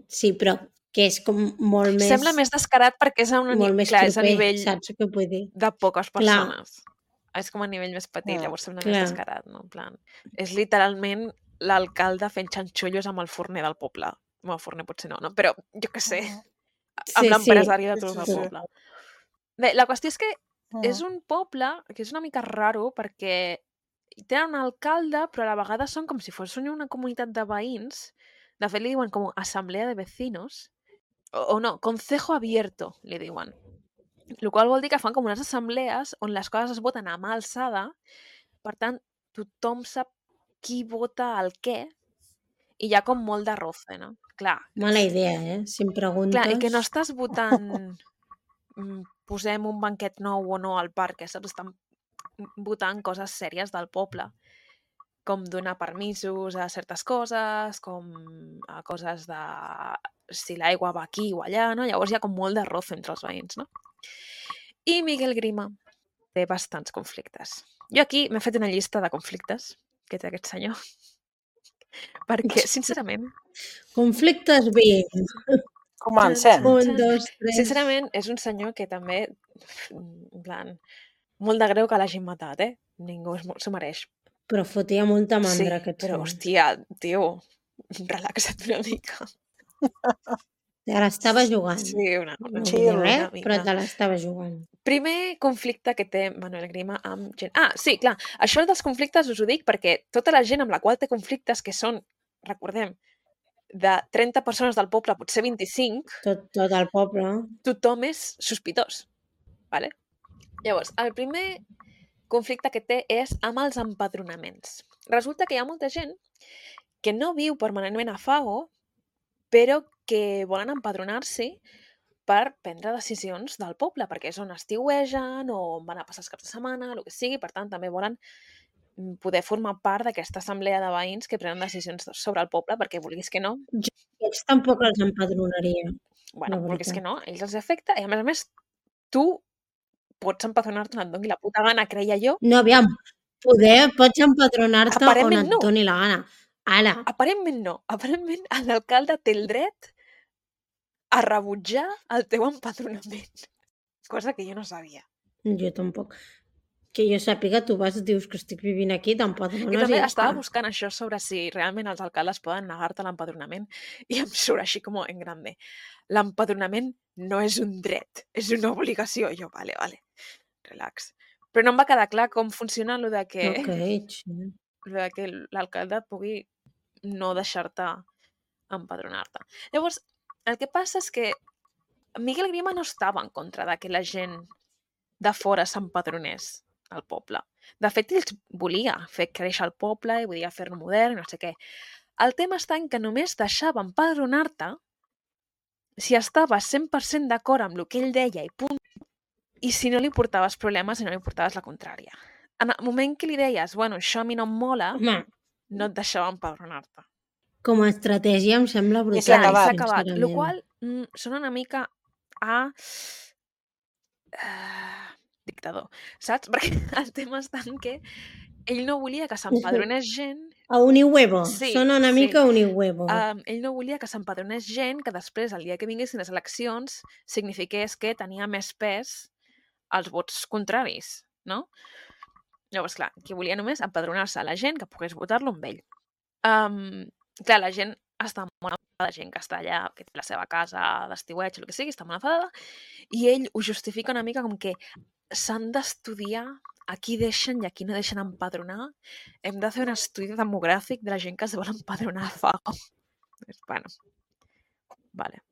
Sí, però que és com molt més... Sembla més descarat perquè és a, una, molt ni- més clar, és a proper, nivell saps què vull dir? de poques Clar. persones. És com a nivell més petit, Mm, llavors sembla clar. més descarat, no? En plan, és literalment l'alcalde fent xanxullos amb el forner del poble. Bueno, el forner potser no, no? Però jo què sé, amb Sí, l'empresari de sí, tot sí, el sí. poble. Bé, la qüestió és que Mm. és un poble que és una mica raro perquè tenen un alcalde, però a la vegada són com si fos una comunitat de veïns. De fet, li diuen com assemblea de vecinos. O, o no, concejo abierto, li diuen. El qual vol dir que fan com unes assemblees on les coses es voten a mà alçada, per tant, tothom sap qui vota el què, i hi ha com molt de roce, no? Clar, Mala idea, eh? Si em preguntes... clar, i que no estàs votant mm, posem un banquet nou o no al parc, eh, saps? Estan votant coses sèries del poble, com donar permisos a certes coses, com a coses de si l'aigua va aquí o allà, no? Llavors hi ha com molt de roce entre els veïns, no? I Miguel Grima té bastants conflictes. Jo aquí m'he fet una llista de conflictes que té aquest senyor, perquè, sincerament, Conflictes vint. Comencem. Un, dos, tres... sincerament, és un senyor que també, en plan, molt de greu que l'hagin matat, eh? Ningú es- s'ho mereix. Però fotia molta Sí, mandra aquest però, sol. hòstia, tio, relaxa't una mica. Te l'estava jugant. Sí, una, una, No vull Chill. dir una res, però mica. te l'estava jugant. Primer conflicte que té Manuel Grima amb gent... Ah, sí, clar, això dels conflictes us ho dic perquè tota la gent amb la qual té conflictes, que són, recordem, de trenta persones del poble, potser vint-i-cinc, Tot, tot el poble. tothom és sospitós. Vale? Llavors, el primer conflicte que té és amb els empadronaments. Resulta que hi ha molta gent que no viu permanentment a Fago, però que volen empadronar-s'hi per prendre decisions del poble, perquè és on estiuegen o on van a passar els caps de setmana, el que sigui, per tant, també volen mm, poder formar part d'aquesta assemblea de veïns que prenen decisions sobre el poble, perquè vulguis que no, Jo aquests tampoc els empadronaria, bueno, la vulguis que veritat. no, a ells els afecta, i a més a més, tu pots empadronar-te on et doni la puta gana, creia jo. No, aviam, poder pots empadronar-te on Aparentment et no. doni la gana. Ara, Aparentment no. Aparentment l'alcalde té el dret a rebutjar el teu empadronament. Cosa que jo no sabia. jo tampoc. Que jo sàpiga, tu vas, dius que estic vivint aquí, I t'empadrones i també ja estava està. buscant això sobre si realment els alcaldes poden negar-te l'empadronament i em surt així com en grande. L'empadronament no és un dret, és una obligació. I jo, vale, vale, relax. Però no em va quedar clar com funciona lo de que, Ok, sí. lo de que l'alcalde pugui no deixar-te empadronar-te. Llavors, el que passa és que Miguel Grima no estava en contra de que la gent de fora s'empadronés al poble. De fet, ells volia fer créixer el poble i volia fer-lo modern, no sé què. El tema està en que només deixava empadronar-te si estaves cent per cent d'acord amb el que ell deia i punt, i si no li portaves problemes i no li portaves la contrària. En el moment que li deies, bueno, això a mi no em mola, Home, no et deixava empadronar-te. com a estratègia em sembla I brutal, s'ha Clar, i s'ha acabat. acabat. Lo sincerament. qual mm, sona una mica a uh, dictador, saps? Perquè el tema està en que ell no volia que s'empadronés gent. A Unihuevo, Sí, sona una sí. mica a Unihuevo. Um, ell no volia que s'empadronés gent que després, el dia que vinguessin les eleccions, signifiqués que tenia més pes als vots contraris, no? Llavors, clar, que volia només empadronar-se a la gent que pogués votar-lo amb ell. Um, clar, la gent està molt enfadada, la gent que està allà, que té la seva casa d'estiueig, el que sigui, està molt enfadada, i ell ho justifica una mica com que s'han d'estudiar a qui deixen i a qui no deixen empadronar. Hem de fer un estudi demogràfic de la gent que es vol empadronar a Fago. Bueno, vale.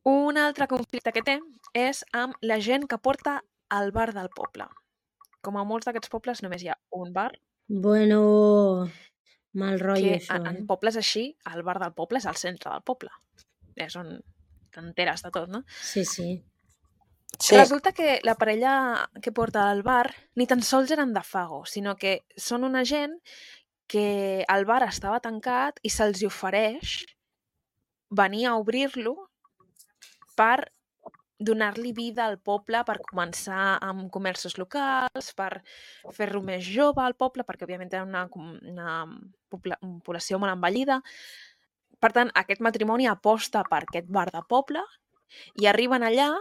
Un altre conflicte que té és amb la gent que porta al bar del poble. Com a molts d'aquests pobles només hi ha un bar. Bueno, mal rotllo que això, en, en eh? pobles així, el bar del poble és al centre del poble. És on t'enteres de tot, no? Sí, sí. Sí. Resulta que la parella que porta al bar ni tan sols eren de Fago, sinó que són una gent que el bar estava tancat i se'ls ofereix venir a obrir-lo per donar-li vida al poble, per començar amb comerços locals, per fer-lo més jove al poble, perquè òbviament tenen una, una pobla, una població molt envellida. Per tant, aquest matrimoni aposta per aquest bar de poble i arriben allà,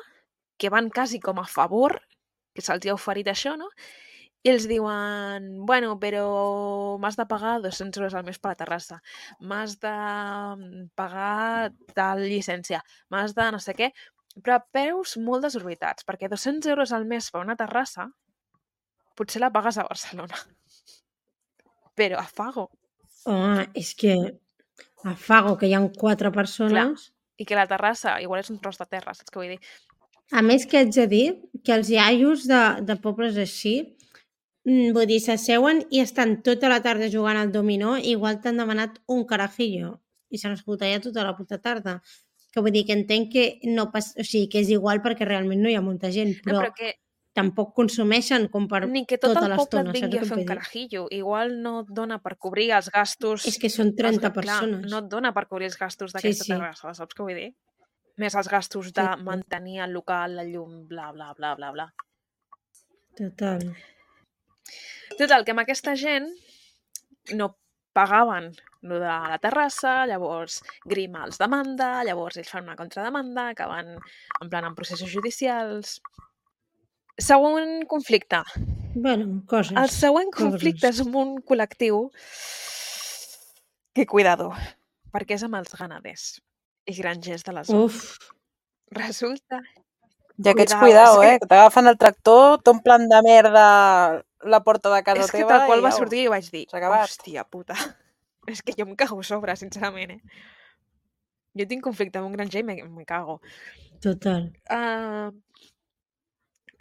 que van quasi com a favor, que se'ls ha oferit això, no? I els diuen, bueno, però m'has de pagar dos-cents euros al mes per la terrassa, m'has de pagar tal llicència, m'has de no sé què, però a preus molt desorbitats, perquè dos-cents euros al mes per una terrassa potser la pagues a Barcelona. Però a Fago. Home, és que a Fago, que hi ha quatre persones... Clar, i que la terrassa igual és un tros de terra, saps què vull dir? A més que haig de dir que els iaios de, de pobles així, vull dir, s'asseuen i estan tota la tarda jugant al dominó, igual t'han demanat un carajillo i s'han escoltat ja tota la puta tarda. Que vull dir que entenc que no pas, o sigui, que és igual perquè realment no hi ha molta gent, però, no, però que tampoc consumeixen com per ni que tot tota el poble et l'estona, vingui a saps fer què un vull dir? carajillo. Igual no et dona per cobrir els gastos... És que són trenta els, clar, persones. no et dona per cobrir els gastos Sí, d'aquesta sí. terrassa, saps què vull dir? Més els gastos de Sí, sí. mantenir el local, la llum, bla, bla, bla, bla, bla. Total. Total, que amb aquesta gent no pagaven lo de la terrassa, llavors Grima els demanda, llavors ells fan una contrademanda, acaben en plan en processos judicials. Següent conflicte. Bueno, coses. El següent conflicte coses. és amb un col·lectiu que, cuidado, perquè és amb els ganaders i grangers de la zona. Uf, Resulta... I aquests, Cuidao, cuidao, és eh? Que t'agafen el tractor, t'omplen de merda la porta de casa És que teva tal qual i va au, sortir i vaig dir, s'ha acabat. hòstia puta, és que jo em cago a sobre, sincerament, eh? Jo tinc conflicte amb un granger i me, me cago. total. Uh,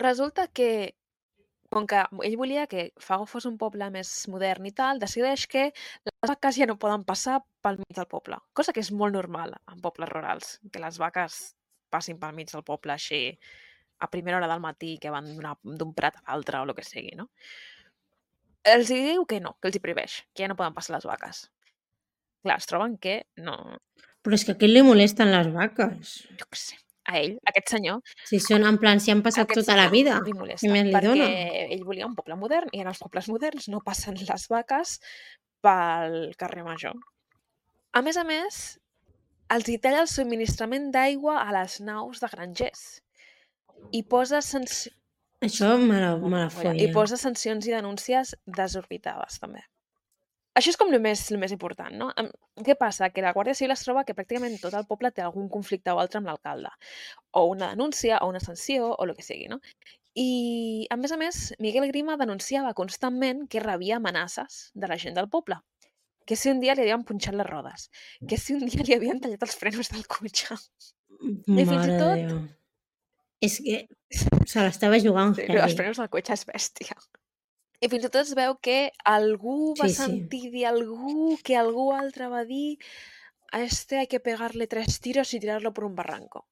resulta que, com que ell volia que Fago fos un poble més modern i tal, decideix que les vaques ja no poden passar pel mig del poble, cosa que és molt normal en pobles rurals, que les vaques passin pel mig del poble així a primera hora del matí, que van d'un prat a l'altre o el que sigui, no? Els hi diu que no, que els hi prohibeix, que ja no poden passar les vaques. Clar, es troben que no... Però és que a qui li molesten les vaques? Jo què sé. A ell, a aquest senyor, Si són en plan, si han passat aquest tota la senyor vida, li què molesta, més li perquè dona? ell volia un poble modern i en els pobles moderns no passen les vaques pel carrer Major. A més a més, els hi talla el subministrament d'aigua a les naus de grangers i posa, sanci... Això me la, me la i folla. posa sancions i denúncies desorbitades, també. Això és com el més, el més important, no? Em- Què passa? Que la Guàrdia Civil es troba que pràcticament tot el poble té algun conflicte o altre amb l'alcalde. O una denúncia, o una sanció, o el que sigui, no? I, a més a més, Miguel Grima denunciava constantment que rebia amenaces de la gent del poble. Que si un dia li havien punxat les rodes. Que si un dia li havien tallat els frenos del cotxe. I fins i Mare tot... de Déu. És que se l'estava jugant Sí, els heavy. frenos del cotxe és bèstia. I fins i tot es veu que algú va Sí, sí. sentir dir algú, que algú altre va dir a este hay que pegarle tres tiros y tirarlo por un barranco.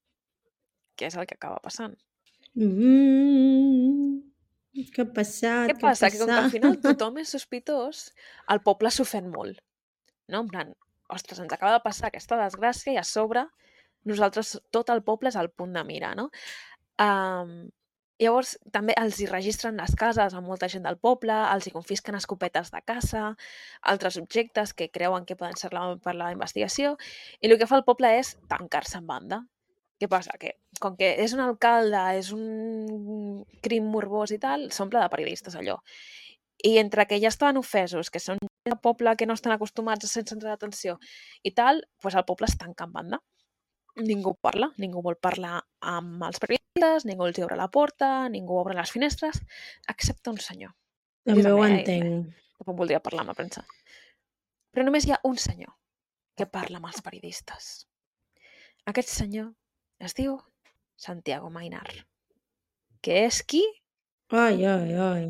Que és el que acaba passant. Mm, què ha passat? Què Què ha passa? Que com que al passat? final tothom és sospitós, el poble s'ofèn molt. No? En plan, ostres, ens acaba de passar aquesta desgràcia i a sobre nosaltres, tot el poble és al punt de mira, no? Um, llavors, també els hi registren les cases a molta gent del poble, els hi confisquen escopetes de caça, altres objectes que creuen que poden ser la, per la investigació, i el que fa el poble és tancar-se en banda. Què passa? Que com que és un alcalde, és un crim morbós i tal, s'omple de periodistes allò. I entre que ja estaven ofesos, que són gent del poble que no estan acostumats a ser centre d'atenció i tal, doncs el poble es tanca en banda. Ningú parla, ningú vol parlar amb els periodistes, ningú els obre la porta, ningú obre les finestres, excepte un senyor. Jo També ho també, eh? entenc. Tampoc voldria parlar amb la premsa. Però només hi ha un senyor que parla amb els periodistes. Aquest senyor es diu Santiago Mainar, que és qui? Ai, ai, ai.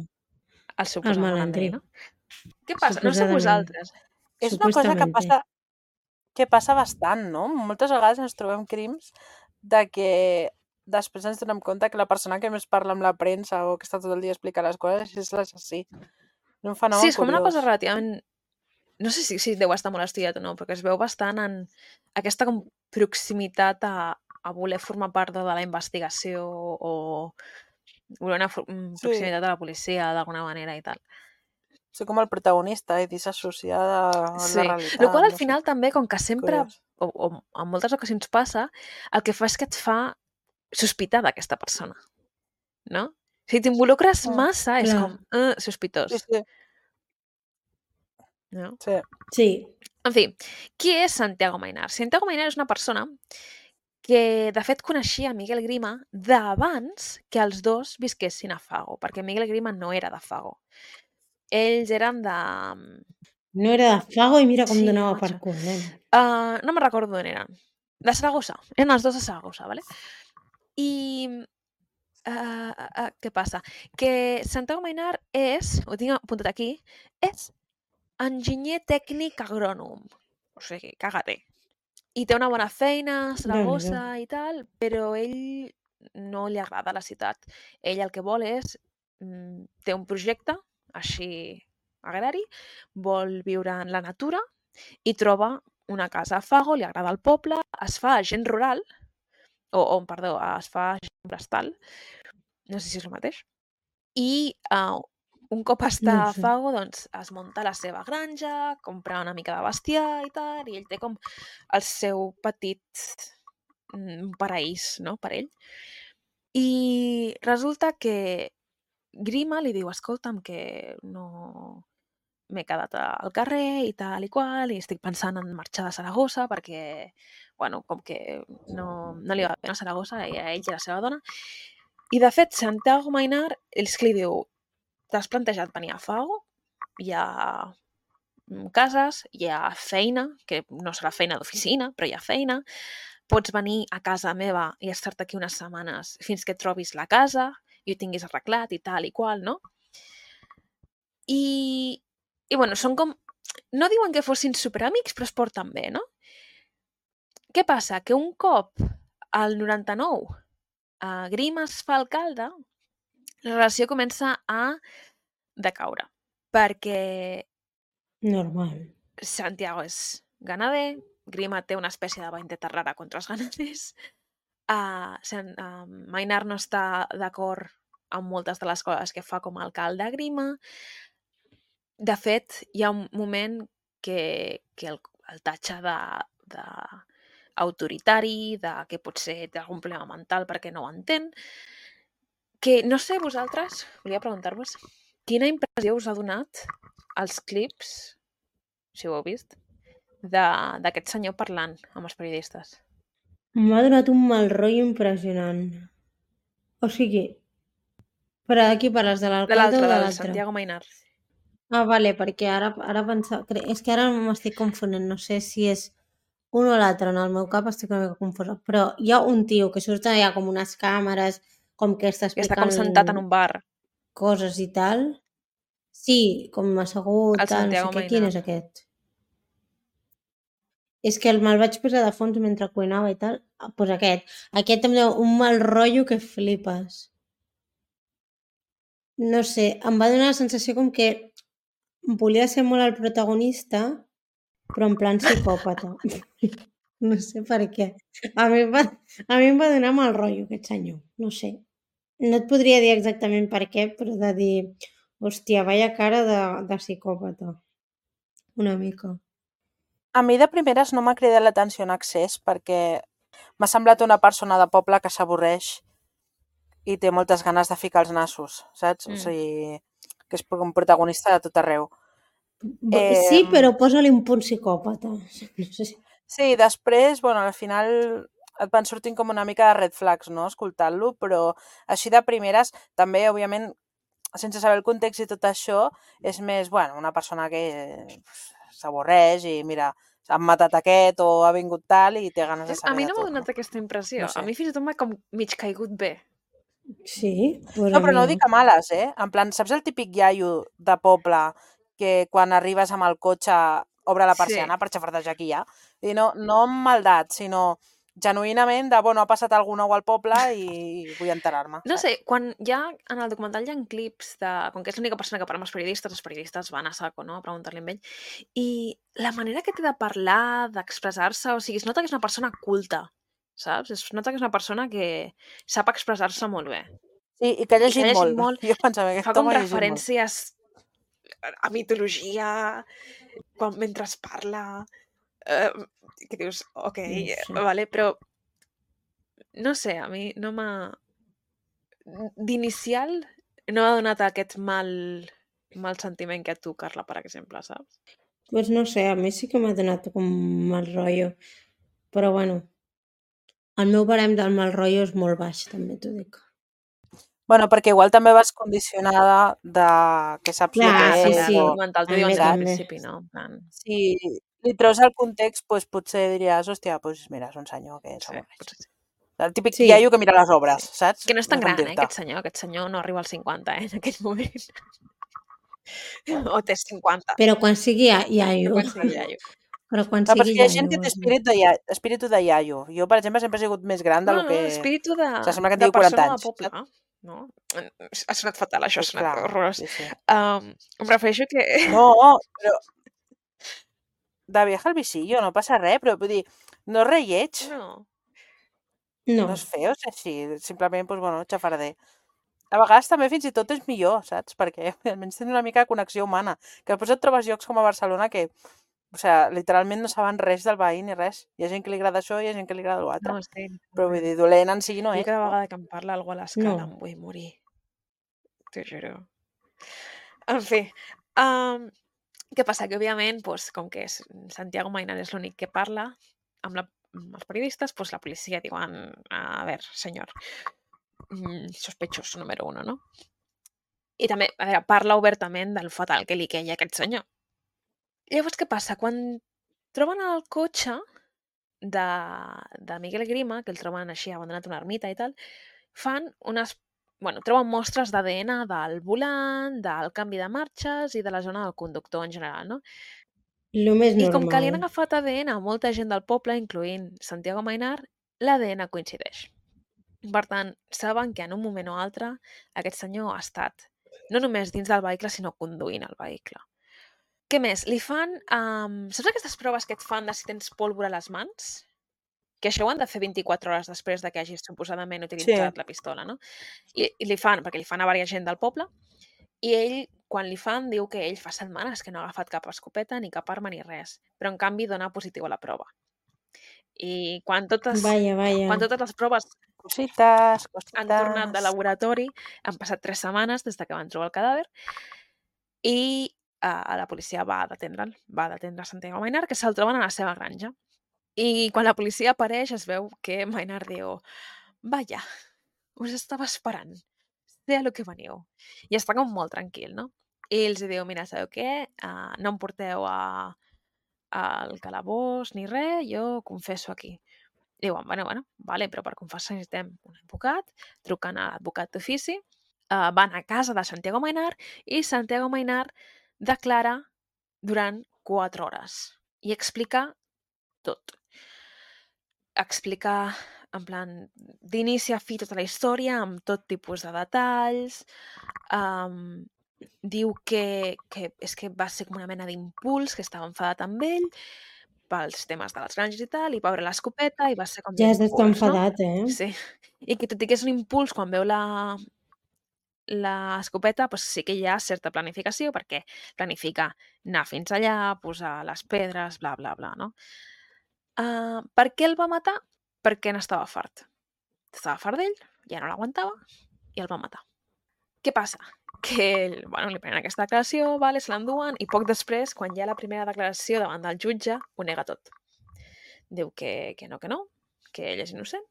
El suposat El malandrí, malandrí. no? Què passa? No sé Suposadament. vosaltres. És una cosa que Supuestamente. passa, que passa bastant, no? Moltes vegades ens trobem crims de que després ens donem compte que la persona que més parla amb la premsa o que està tot el dia explicant les coses és l'assassí. És un fenomen Sí, és com una curiós. cosa relativament... No sé si, si deu estar molt estudiat o no, perquè es veu bastant en aquesta com proximitat a, a voler formar part de la investigació o voler una for- mm, Sí. proximitat a la policia d'alguna manera i tal. Ser com el protagonista i dissociada a Sí, la realitat. el qual al no sé. final també, com que sempre, Curiós. o, o en moltes ocasions passa, el que fa és que et fa sospitar d'aquesta persona, no? Si t'involucres Mm, massa, és clar. com, eh, sospitós, Sí, sí, no? sí. Sí. En fi, qui és Santiago Mainar? Santiago Mainar és una persona que, de fet, coneixia Miguel Grima d'abans que els dos visquessin a Fago, perquè Miguel Grima no era de Fago. Ells eren de... No era de Fago i mira com Sí, donava macho. per cul, nen. Uh, no me'n recordo d'on eren. De Saragossa. Eren els dos de Saragossa, ¿vale? I... Uh, uh, uh, què passa? Que Santiago Mainar és, ho tinc apuntat aquí, és enginyer tècnic agrònom. O sigui, caga-te. I té una bona feina a Saragossa i tal, però ell no li agrada la ciutat. Ell el que vol és... mm, té un projecte, així agrari, vol viure en la natura i troba una casa a Fago, li agrada el poble, es fa agent rural, o, o perdó, es fa agent forestal, no sé si és el mateix, i uh, un cop està No ho a sé. Fago, doncs es munta la seva granja, compra una mica de bestiar i tal, i ell té com el seu petit mm, paraís, no?, per ell. I resulta que Grima li diu, escolta'm, que no m'he quedat al carrer i tal i qual, i estic pensant en marxar de Saragossa perquè, bueno, com que no, no li va bé a Saragossa i a ell i a la seva dona. I, de fet, Santiago Maynard és que li diu, t'has plantejat venir a Fago? Hi ha cases, hi ha feina, que no serà feina d'oficina, però hi ha feina, pots venir a casa meva i estar-te aquí unes setmanes fins que trobis la casa i ho tinguis arreglat i tal i qual, no? I, i bueno, són com... No diuen que fossin superamics, però es porten bé, no? Què passa? Que un cop al noranta-nou a Grima es fa alcalde, la relació comença a decaure, perquè Normal. Santiago és ganader, Grima té una espècie de vendetta rara contra els ganaders, uh, uh, Maynard no està d'acord amb moltes de les coses que fa com a alcalde a Grima. De fet, hi ha un moment que, que el, el tatxa de, de autoritari, de que potser té algun problema mental perquè no ho entén, que no sé vosaltres, volia preguntar-vos, quina impressió us ha donat els clips, si ho heu vist, d'aquest senyor parlant amb els periodistes? M'ha donat un mal rotllo impressionant. O sigui, però de qui parles? De De l'alcalde l'altre, o de del l'altre? Santiago Maynard. Ah, vale, perquè ara, ara pensava... cre- És que ara m'estic confonent, no sé si és un o l'altre, en el meu cap estic una mica confosa, però hi ha un tio que surt allà com unes càmeres, com que està Que està com explicant sentat en un bar. coses i tal. Sí, com assegut, El tal, no sé Santiago què, quin Maynard. és aquest? És que el me'l vaig posar de fons mentre cuinava i tal. Ah, doncs aquest. Aquest em deu un mal rotllo que flipes. No sé, em va donar la sensació com que volia ser molt el protagonista, però en plan psicòpata. No sé per què. A mi, em va, a mi em va donar mal rotllo aquest senyor. No sé. No et podria dir exactament per què, però de dir, hòstia, vaya cara de, de psicòpata. Una mica. A mi de primeres no m'ha cridat l'atenció en excés perquè m'ha semblat una persona de poble que s'avorreix i té moltes ganes de ficar els nassos, saps? Mm. O sigui, que és un protagonista de tot arreu. Eh... Sí, però posa-li un punt psicòpata. No sé si... Sí, després, bueno, al final et van sortint com una mica de red flags, no?, escoltant-lo, però així de primeres, també, òbviament, sense saber el context i tot això, és més, bueno, una persona que s'avorreix i, mira, han matat aquest o ha vingut tal i té ganes de saber A mi de no m'ha tot, donat no? aquesta impressió. No sé. A mi fins i tot m'ha com mig caigut bé. Sí? Pues No, a però mi no ho no. dic a males, eh? En plan, saps el típic iaio de poble que quan arribes amb el cotxe obre la Sí. persiana per xafardejar qui hi ha? I no, no amb maldat, sinó genuïnament de, bueno, ha passat algú nou al poble i vull enterar-me. No saps? sé, quan hi ha, en el documental hi ha clips de... Com que és l'única persona que parla amb els periodistes, els periodistes van a saco, no?, a preguntar-li amb ell. I la manera que té de parlar, d'expressar-se, o sigui, es nota que és una persona culta, saps? Es nota que és una persona que sap expressar-se molt bé. Sí, i que ha I que llegit, ha llegit molt. molt, Jo pensava que fa aquest com home ha llegit molt. referències a mitologia, quan, mentre es parla... Eh, que dius, ok, No sé. vale, però no sé, a mi no m'ha... D'inicial no m'ha donat aquest mal, mal sentiment que a tu, Carla, per exemple, saps? Pues no sé, a mi sí que m'ha donat com mal rotllo. Però bueno, el meu barem del mal rotllo és molt baix, també t'ho dic. Bueno, perquè igual també vas condicionada de que saps Clar, el que sí, és. sí. O... El documental t'ho També, diuen des del també. principi, no? En plan, Si li treus el context, pues, potser diries, hòstia, pues, mira, és un senyor que sí, s'avorreix. potser sí. El típic Sí. iaio que mira les obres, Sí. saps? Que no és tan sé com gran, eh, dir-te. aquest senyor. Aquest senyor no arriba als cinquanta, eh, en aquell moment. O té cinquanta. Però quan sigui ia- iaio. Quan sigui iaio. Però quan No, però sigui és que hi ha iaio. gent que té vols dir. espírit de, ia... espíritu de iaio. Jo, per exemple, sempre he sigut més gran de No, lo no, que... espíritu de, O sigui, sembla que en de tingui quaranta persona de anys, poble, saps? no? Ha sonat fatal, això, ha Pues sonat clar, horrorós. sí, sí. Um, em refereixo que... No, però... De viaje al visillo, no passa res, però vull dir, no és res lleig, No. No. no és feo, és així, simplement, doncs, bueno, xafarder. A vegades també fins i tot és millor, saps? Perquè almenys tens una mica de connexió humana. Que després et trobes llocs com a Barcelona que, o sigui, literalment no saben res del veí ni res. Hi ha gent que li agrada això i hi ha gent que li agrada l'altre. No, sí. Però vull dir, dolent en si no Jo és. cada No? vegada que em parla algú a l'escala No. em vull morir. t'ho juro. En fi, um, què passa? Que, òbviament, pues, com que és Santiago Mainar és l'únic que parla amb, la, amb els periodistes, pues, la policia diuen, a veure, senyor, mm, sospechoso número uno, no? I també, a veure, parla obertament del fatal que li queia a aquest senyor. Llavors, què passa? Quan troben el cotxe de, de Miguel Grima, que el troben així abandonat a una ermita i tal, fan unes... Bueno, troben mostres d'A D N del volant, del canvi de marxes i de la zona del conductor en general, no? Lo més I com que li han normal. agafat A D N a molta gent del poble, incloent Santiago Mainar, l'A D N coincideix. Per tant, saben que en un moment o altre aquest senyor ha estat no només dins del vehicle, sinó conduint el vehicle. Què més? Li fan... Um, saps aquestes proves que et fan de si tens pólvora a les mans? Que això ho han de fer vint-i-quatre hores després de que hagis suposadament utilitzat Sí. la pistola, no? I, I li fan, perquè li fan a diversa gent del poble, i ell, quan li fan, diu que ell fa setmanes que no ha agafat cap escopeta, ni cap arma, ni res. Però, en canvi, dona positiu a la prova. I quan totes, Vaja, vaja. quan totes les proves Cosites, cosites... han tornat de laboratori, han passat tres setmanes des de que van trobar el cadàver, i uh, la policia va detendre'l, va detendre Santiago Mainar, que se'l troben a la seva granja. I quan la policia apareix es veu que Mainar diu «Vaya, us estava esperant, sé a lo que veniu». I està com molt tranquil, no? I ells diu «Mira, sabeu què? Uh, no em porteu a, al calabós ni res, jo confesso aquí». I diuen «Bueno, bueno, vale, però per confessar necessitem un advocat», truquen a l'advocat d'ofici, uh, van a casa de Santiago Mainar i Santiago Mainar declara durant quatre hores i explica tot. Explica, en plan, d'inici a fi tota la història, amb tot tipus de detalls. Um, diu que, que és que va ser com una mena d'impuls, que estava enfadat amb ell pels temes de les granges i tal, i va veure l'escopeta i va ser com Ja has d'estar d'impuls, no? enfadat, eh? Sí. I que tot i que és un impuls quan veu la l'escopeta, doncs sí que hi ha certa planificació, perquè planifica anar fins allà, posar les pedres, bla, bla, bla, no? Uh, per què el va matar? Perquè n'estava fart. Estava fart d'ell, ja no l'aguantava i el va matar. Què passa? Que ell, bueno, li prenen aquesta declaració, vale, se l'enduen i poc després, quan hi ha la primera declaració davant del jutge, ho nega tot. Diu que, que no, que no, que ell és innocent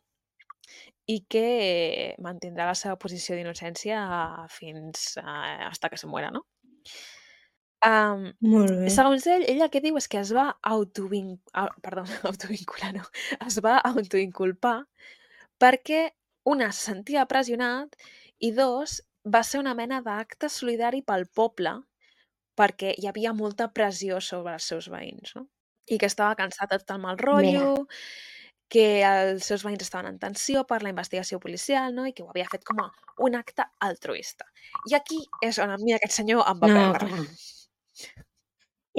i que mantindrà la seva posició d'innocència fins a, hasta que se muera, no? Um, Molt bé. segons ell, ell el que diu és que es va autovin... ah, perdó, autovincular, no. Es va autoinculpar perquè, una, se sentia pressionat i, dos, va ser una mena d'acte solidari pel poble perquè hi havia molta pressió sobre els seus veïns, no? I que estava cansat de tot el mal rotllo, que els seus veïns estaven en tensió per la investigació policial, no? I que ho havia fet com a un acte altruista. I aquí és on a mi aquest senyor em va No, perdre. clar.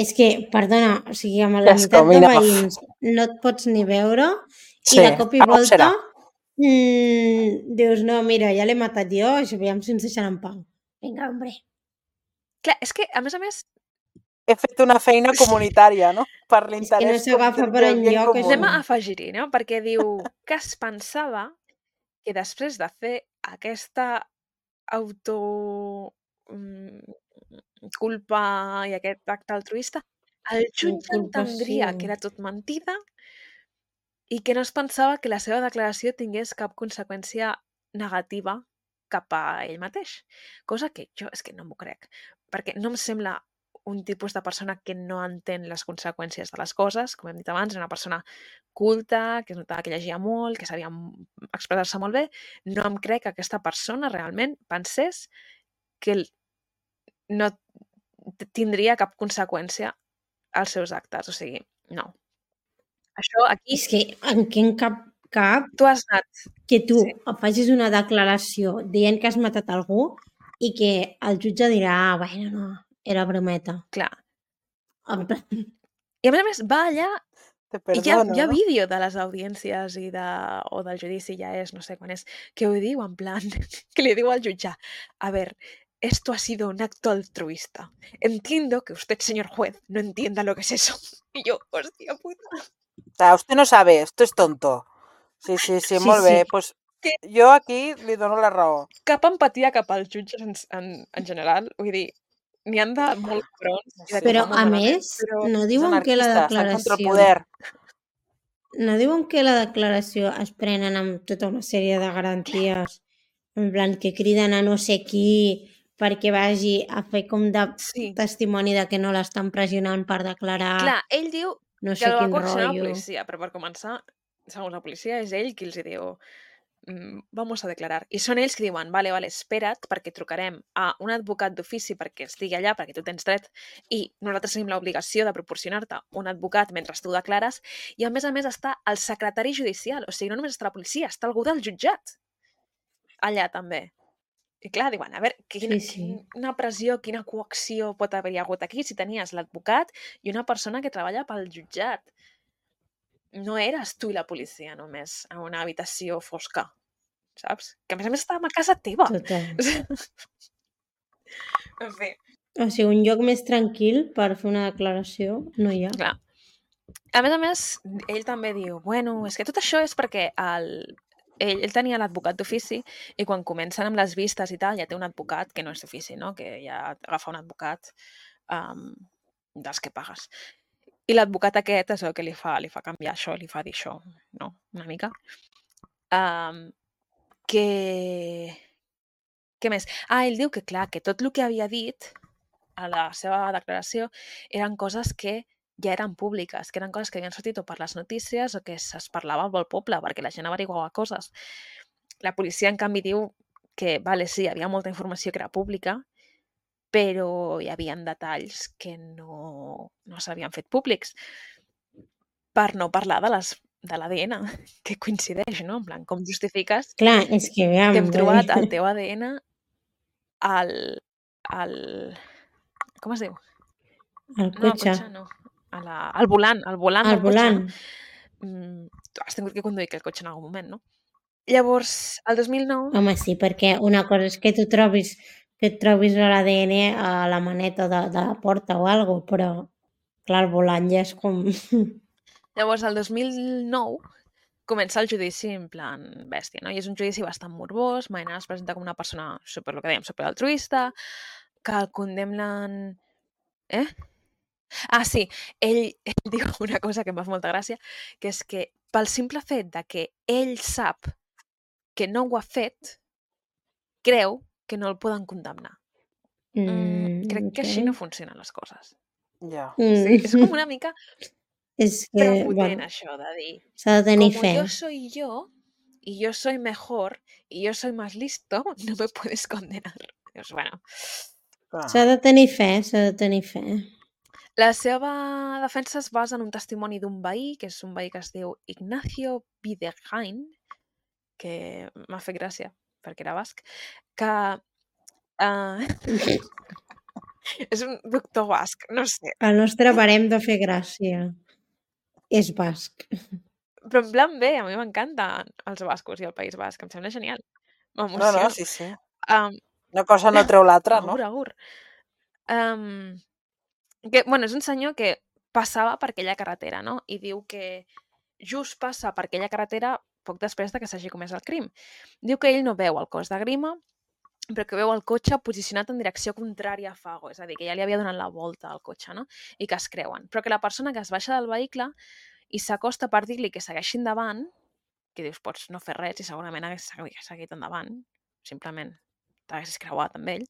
És que, perdona, o sigui, amb la Yes, meitat de coming off. veïns no et pots ni veure Sí, i de cop i algo volta serà. mm, dius, no, mira, ja l'he matat jo, això veiem si ens deixen en pau. Vinga, hombre. Clar, és que, a més a més, He fet una feina comunitària, no? Per És que no l'interès s'agafa com- per del bien enlloc, comú. anem a afegir-hi, no? Perquè diu que es pensava que després de fer aquesta auto mm, culpa i aquest acte altruista, el jutge entendria Inculpació. que era tot mentida i que no es pensava que la seva declaració tingués cap conseqüència negativa cap a ell mateix. Cosa que jo és que no m'ho crec, perquè no em sembla un tipus de persona que no entén les conseqüències de les coses. Com hem dit abans, era una persona culta, que es notava que llegia molt, que sabia m- expressar-se molt bé. No em crec que aquesta persona realment pensés que el- no t- tindria cap conseqüència als seus actes. O sigui, no. Això aquí, És que en quin cap cap tu has anat... que tu Sí. facis una declaració dient que has matat algú i que el jutge dirà, ah, bueno, no, era brometa. Clar. En plan, I a més a més va allà Te i hi ha, perdono, hi ha no? vídeo de les audiències i de, o del judici, ja és, no sé quan és, que ho diu en plan, que li diu al jutge, a ver, esto ha sido un acto altruista. Entiendo que usted, señor juez, no entienda lo que es eso. Y yo, hòstia puta. O sea, usted no sabe, esto es tonto. Sí, sí, sí, Sí, molt bé. sí. Pues, que Jo aquí li dono la raó. cap empatia cap als jutges en, en, en general. Vull dir, n'hi han de molt cabrons i de que ho Però, fan molt a malament, més, però no És diuen que la anarquista, estan contra el declaració... poder. No diuen que la declaració es prenen amb tota una sèrie de garanties, en plan que criden a no sé qui perquè vagi a fer com de sí. testimoni de que no l'estan pressionant per declarar Clar, ell diu no que sé el va quin coaccionar la rotllo. policia, però per començar, segons la policia, és ell qui els hi diu "Mm, vamos a declarar". I són ells que diuen, vale, vale, espera't, perquè trucarem a un advocat d'ofici perquè estigui allà, perquè tu tens dret, i nosaltres tenim l'obligació de proporcionar-te un advocat mentre tu declares, i a més a més està el secretari judicial, o sigui, no només està la policia, està algú del jutjat allà també. I clar, diuen, a veure, quina, Sí, sí. quina pressió, quina coacció pot haver-hi hagut aquí si tenies l'advocat i una persona que treballa pel jutjat. No eres tu i la policia només a una habitació fosca, saps? Que a més a més estàvem a casa teva. Total. En fi, O sigui, un lloc més tranquil per fer una declaració no hi ha. clar. A més a més, ell també diu, bueno, és que tot això és perquè el, ell, ell tenia l'advocat d'ofici i quan comencen amb les vistes i tal, ja té un advocat que no és d'ofici, no? Que ja agafa un advocat um, dels que pagues. I l'advocat aquest és el que li fa, li fa canviar això, li fa dir això, no? Una mica. Um, que... Què més? Ah, ell diu que, clar, que tot el que havia dit a la seva declaració eren coses que ja eren públiques, que eren coses que havien sortit o per les notícies o que es parlava al poble, perquè la gent averiguava coses. La policia, en canvi, diu que, vale, sí, hi havia molta informació que era pública, però hi havia detalls que no, no s'havien fet públics. Per no parlar de les de l'A D N, que coincideix, no? En plan, com justifiques Clar, és que, aviam, que hem vull trobat dir- el teu A D N al... al... com es diu? el No, al cotxe, cotxe no. A la, al volant, al volant al del volant. cotxe. Mm, tu has tingut que conduir aquell cotxe en algun moment, no? Llavors, el dos mil nou... Home, sí, perquè una cosa és que tu trobis que et trobis l'A D N a la maneta de, de la porta o alguna cosa, però clar, el volant ja és com... Llavors, el dos mil nou comença el judici en plan bèstia, no? I és un judici bastant morbós, Mainar es presenta com una persona super, el que dèiem, superaltruista, que el condemnen... Eh? Ah, sí, ell, ell diu una cosa que em va fer molta gràcia, que és que pel simple fet de que ell sap que no ho ha fet, creu que no el poden condemnar. Mm, Mm, crec que ok. així no funcionen les coses. Ja. Sí, Mm. és com una mica És que, prepotent, bueno, això de dir, s'ha de tenir como fe. yo soy yo, y yo soy mejor, y yo soy más listo, no me puedes condenar. Dius, bueno, S'ha de tenir fe, s'ha de tenir fe. la seva defensa es basa en un testimoni d'un veí, que és un veí que es diu Ignacio Videgain, que m'ha fet gràcia, perquè era basc, que... Uh, és un doctor basc, no sé. El nostre barem de fer gràcia és basc. Però en plan bé, a mi m'encanten els bascos i el País Basc, em sembla genial. No, M'emociono. no, sí, sí. Um, Una cosa no treu l'altra, no? agur, agur. Um, que, bueno, és un senyor que passava per aquella carretera, no? I diu que just passa per aquella carretera poc després de que s'hagi comès el crim. Diu que ell no veu el cos de Grima, però que veu el cotxe posicionat en direcció contrària a Fago, és a dir, que ja li havia donat la volta al cotxe, no? I que es creuen. Però que la persona que es baixa del vehicle i s'acosta per dir-li que segueixi endavant, que dius, pots no fer res i segurament hagués seguit endavant, simplement t'haguessis creuat amb ell,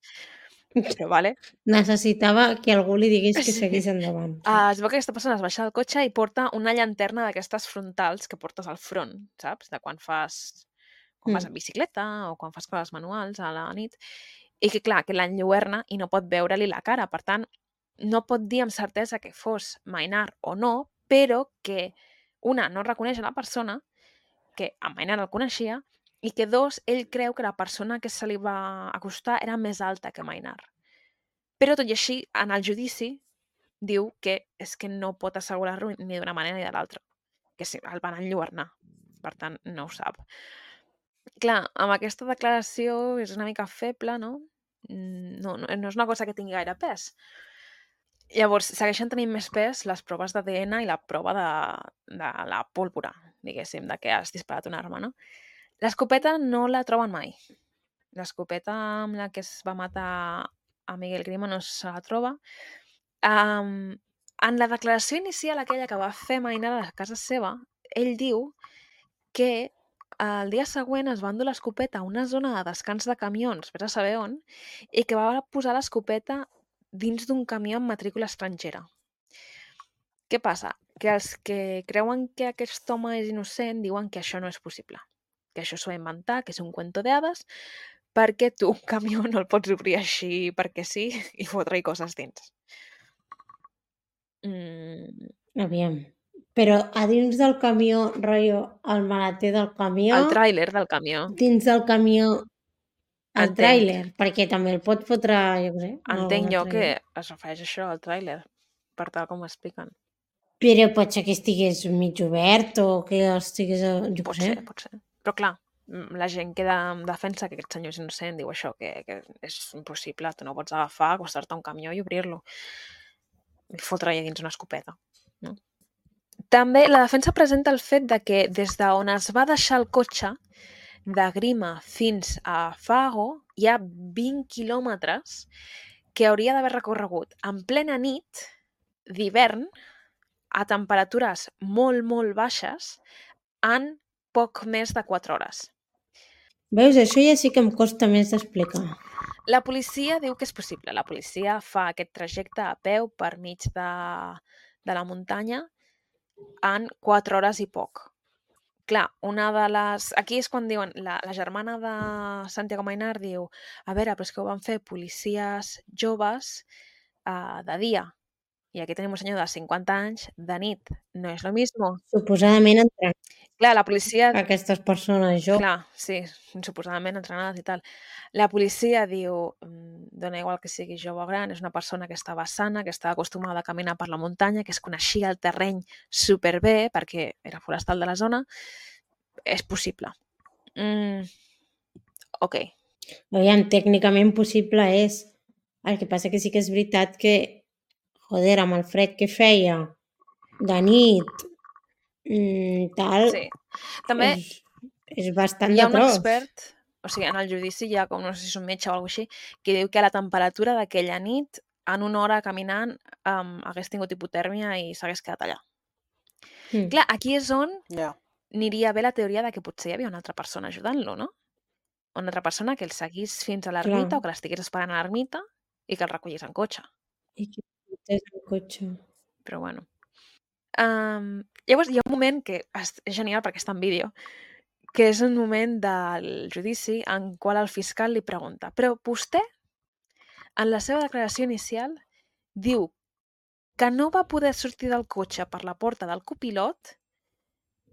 però vale. Necessitava que algú li digués que Sí. seguís endavant. Uh, es veu que aquesta persona es baixa del cotxe i porta una llanterna d'aquestes frontals que portes al front, saps? De quan fas quan vas Mm. en bicicleta o quan fas coses manuals a la nit, i que clar, que l'enlluerna i no pot veure-li la cara, per tant, no pot dir amb certesa que fos Mainar o no, però que una, no reconeix a la persona, que a Mainar el coneixia, i que dos, ell creu que la persona que se li va acostar era més alta que Mainar. Però tot i així, en el judici, diu que és que no pot assegurar-ho ni d'una manera ni de l'altra, que sí, el van enlluernar, per tant, no ho sap. Clar, amb aquesta declaració és una mica feble, no? No, no, no és una cosa que tingui gaire pes. Llavors, segueixen tenint més pes les proves d'A D N i la prova de, de la pólvora, diguéssim, de que has disparat una arma, no? L'escopeta no la troben mai. L'escopeta amb la que es va matar a Miguel Grima no se la troba. Um, en la declaració inicial aquella que va fer Mainar a la casa seva, ell diu que el dia següent es va endur l'escopeta a una zona de descans de camions, vés a saber on, i que va posar l'escopeta dins d'un camió amb matrícula estrangera. Què passa? Que els que creuen que aquest home és innocent diuen que això no és possible, que això s'ho va inventar, que és un cuento de hadas, perquè tu un camió no el pots obrir així perquè sí i fotre-hi coses dins. Mm. Aviam. Però a dins del camió, rotllo, el maleter del camió... El tràiler del camió. Dins del camió, el Entenc. tràiler, perquè també el pot fotre, jo què sé... en Entenc algun jo altre que lloc. es refereix a això, al tràiler, per tal com ho expliquen. Però pot ser que estigués mig obert o que estigués... a- Jo Pot què sé. ser, pot ser. Però clar, mm, la gent que de- defensa que aquest senyor és innocent diu això, que, que és impossible, tu no pots agafar, acostar-te a un camió i obrir-lo i fotre allà dins una escopeta. No? També la defensa presenta el fet de que des d'on es va deixar el cotxe de Grima fins a Fago hi ha vint quilòmetres que hauria d'haver recorregut en plena nit d'hivern a temperatures molt, molt baixes en poc més de quatre hores. Veus, això ja sí que em costa més d'explicar. La policia diu que és possible. La policia fa aquest trajecte a peu per mig de, de la muntanya en quatre hores i poc. Clar, una de les... Aquí és quan diuen... La, la germana de Santiago Mainar diu a veure, però és que ho van fer policies joves uh, de dia. I aquí tenim un senyor de cinquanta anys de nit. No és lo mismo. Suposadament entrenant Clar, la policia... aquestes persones joves. Clar, sí, suposadament entrenades i tal. La policia diu, mm, dona igual que sigui jove o gran, és una persona que estava sana, que estava acostumada a caminar per la muntanya, que es coneixia el terreny superbé, perquè era forestal de la zona. És possible. Mm, ok. Aviam, tècnicament possible és. El que passa que sí que és veritat que, joder, amb el fred que feia de nit, mm, tal, Sí. També és, és bastant hi ha de un tros. expert, o sigui, en el judici hi ha com, no sé si és un metge o alguna cosa així, que diu que la temperatura d'aquella nit, en una hora caminant, um, hagués tingut hipotèrmia i s'hagués quedat allà. Mm. Clar, aquí és on Ja. aniria bé la teoria de que potser hi havia una altra persona ajudant-lo, no? Una altra persona que el seguís fins a l'ermita Clar. o que l'estigués esperant a l'ermita i que el recollís en cotxe. I que portés el cotxe. Però bueno. Um, llavors hi ha un moment que és genial perquè està en vídeo, que és un moment del judici en qual el fiscal li pregunta però vostè, en la seva declaració inicial, diu que no va poder sortir del cotxe per la porta del copilot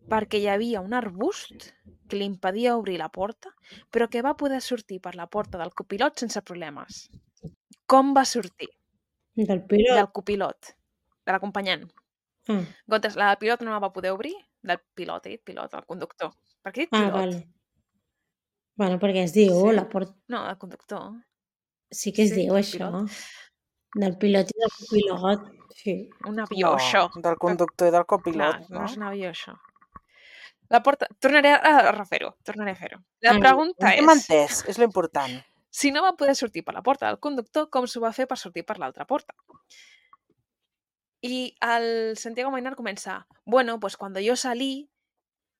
perquè hi havia un arbust que li impedia obrir la porta, però que va poder sortir per la porta del copilot sense problemes. Com va sortir? Del pilot? Del copilot, de l'acompanyant. Ah, En comptes, la del pilot no la va poder obrir, del pilot, he dit pilot, el conductor. Per què he dit ah pilot? vale. Bueno, perquè es diu, Sí. la porta... No, el conductor. Sí que es Sí, diu del això. pilot. Del pilot i del copilot. Sí. Un avió, No, això. del conductor i del copilot, Clar, no no? és un avió, això. La porta... Tornaré a refer-ho, tornaré a fer-ho. La Ah, pregunta Hem és, entès, és l'important. si no va poder sortir per la porta del conductor, com s'ho va fer per sortir per l'altra porta? I el Santiago Mainar comença, bueno, pues cuando yo salí,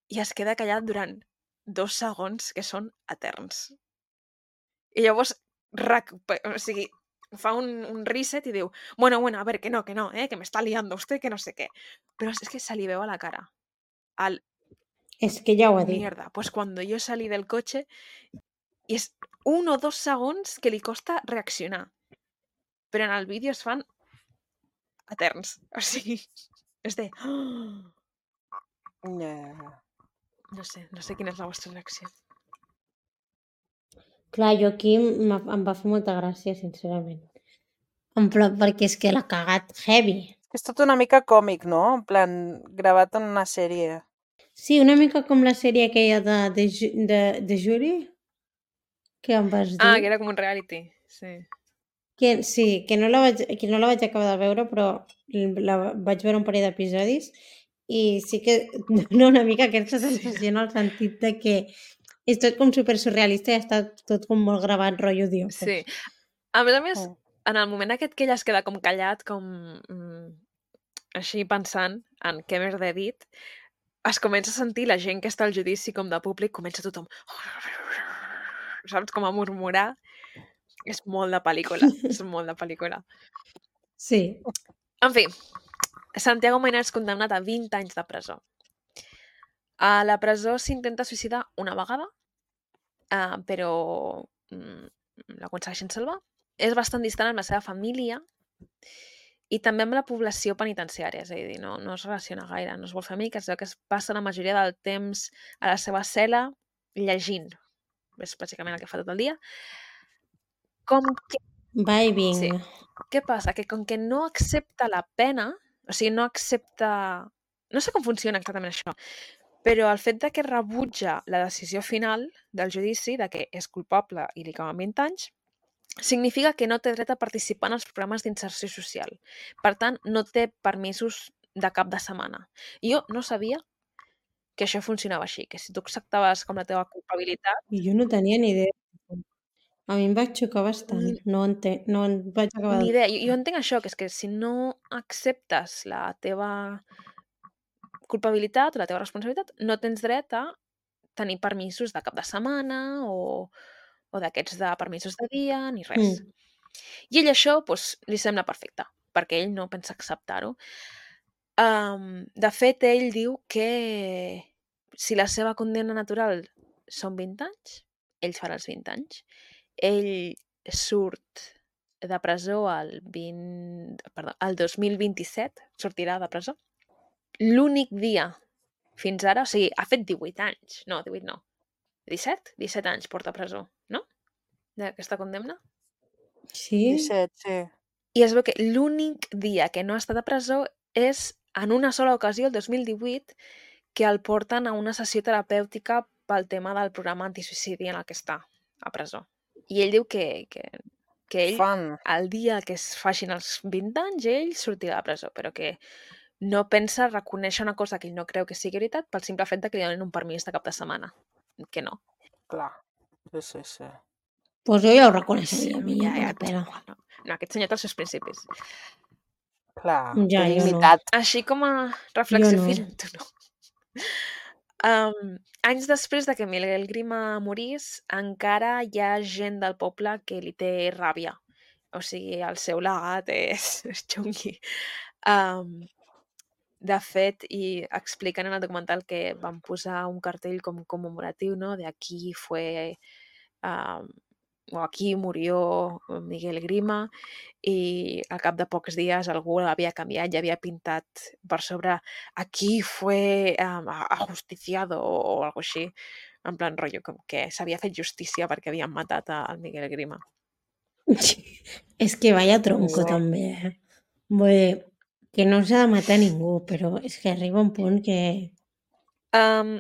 i es queda callat durant dos segons que són eterns. I llavors, recupe- o sigui, fa un, un reset i diu, bueno, bueno, a ver, que no, que no, eh, que me está liando usted, que no sé qué. Però és que se li veu a la cara. Al, És que ja ho ha dit. mierda, pues cuando yo salí del coche, i és un o dos segons que li costa reaccionar. Però en el vídeo es fan eterns. O sigui, és de... Ja. No sé, no sé quina és la vostra reacció. Clar, jo aquí m'ha- em va fer molta gràcia, sincerament. En plan, perquè és que l'ha cagat heavy. És tot una mica còmic, no? En plan, gravat en una sèrie. Sí, una mica com la sèrie aquella de, de, Ju- de, de Jury, que em vas dir. Ah, que era com un reality, sí. Que, sí, que no, la vaig, que no la vaig acabar de veure, però la vaig veure un parell d'episodis i sí que dona una mica aquesta sensació en el sentit de que És tot com super surrealista i està tot com molt gravat, rotllo Dios. Sí. A més a més, Mm. en el moment aquest que ella es queda com callat, com mm, així pensant en què més he dit, es comença a sentir la gent que està al judici com de públic, comença tothom saps, com a murmurar. És molt de pel·lícula, és molt de pel·lícula. Sí. En fi, Santiago Maynard és condemnat a vint anys de presó. A la presó s'intenta suïcidar una vegada, uh, però mm, l'aconsegueixen salvar. És bastant distant amb la seva família i també amb la població penitenciària, és a dir, no, no es relaciona gaire, no es vol fer amic, es veu que es passa la majoria del temps a la seva cel·la llegint. És bàsicament el que fa tot el dia. Com que... Va i vinga. Sí. Què passa? Que com que no accepta la pena, o sigui, no accepta... No sé com funciona exactament això, però el fet de que rebutja la decisió final del judici, de que és culpable i li acaben vint anys, significa que no té dret a participar en els programes d'inserció social. Per tant, no té permisos de cap de setmana. I jo no sabia que això funcionava així, que si tu acceptaves com la teva culpabilitat... I jo no tenia ni idea. A mi em va xocar bastant. Ni, no, entenc, no en vaig acabar ni de... idea. Jo, jo entenc això, que és que si no acceptes la teva culpabilitat o la teva responsabilitat, no tens dret a tenir permisos de cap de setmana o, o d'aquests de permisos de dia, ni res. Mm. I ell això doncs, li sembla perfecte, perquè ell no pensa acceptar-ho. Um, de fet, ell diu que si la seva condemna natural són vint anys, ell farà els vint anys. Ell surt de presó el, vint, perdó, el dos mil vint-i-set, sortirà de presó. L'únic dia fins ara, o sigui, ha fet divuit anys. No, divuit no. disset? disset anys porta a presó, no? D'aquesta condemna. Sí? disset, sí. I es veu que l'únic dia que no ha estat a presó és en una sola ocasió, el dos mil divuit, que el porten a una sessió terapèutica pel tema del programa antisuïcidi en el que està a presó. I ell diu que, que, que ell, Fan. el dia que es facin els vint anys, ell sortirà de presó, però que no pensa reconèixer una cosa que ell no creu que sigui veritat pel simple fet de que li donin un permís de cap de setmana. Que no. Clar. Sí, sí, sí. Pues jo ja ho reconeixeria, a mi ja, ja, ja, però... no. no, aquest senyor té els seus principis. Clar, Ja, té jo no. dignitat. Així com a reflexió Jo no. final, tu no. Um, anys després de que Miguel Grima morís, encara hi ha gent del poble que li té ràbia. O sigui, el seu legat és, és xungui. Um, de fet, i expliquen en el documental que van posar un cartell com commemoratiu, no? De aquí fue... Um, o aquí murió Miguel Grima, i al cap de pocs dies algú l'havia canviat i havia pintat per sobre aquí fue um, ajusticiado o, o algo així, en plan rotllo, com que s'havia fet justícia perquè havien matat al Miguel Grima. És que vaya tronco, Sí. també, eh? Vull dir, que no s'ha de matar ningú, però és que arriba un punt que Um,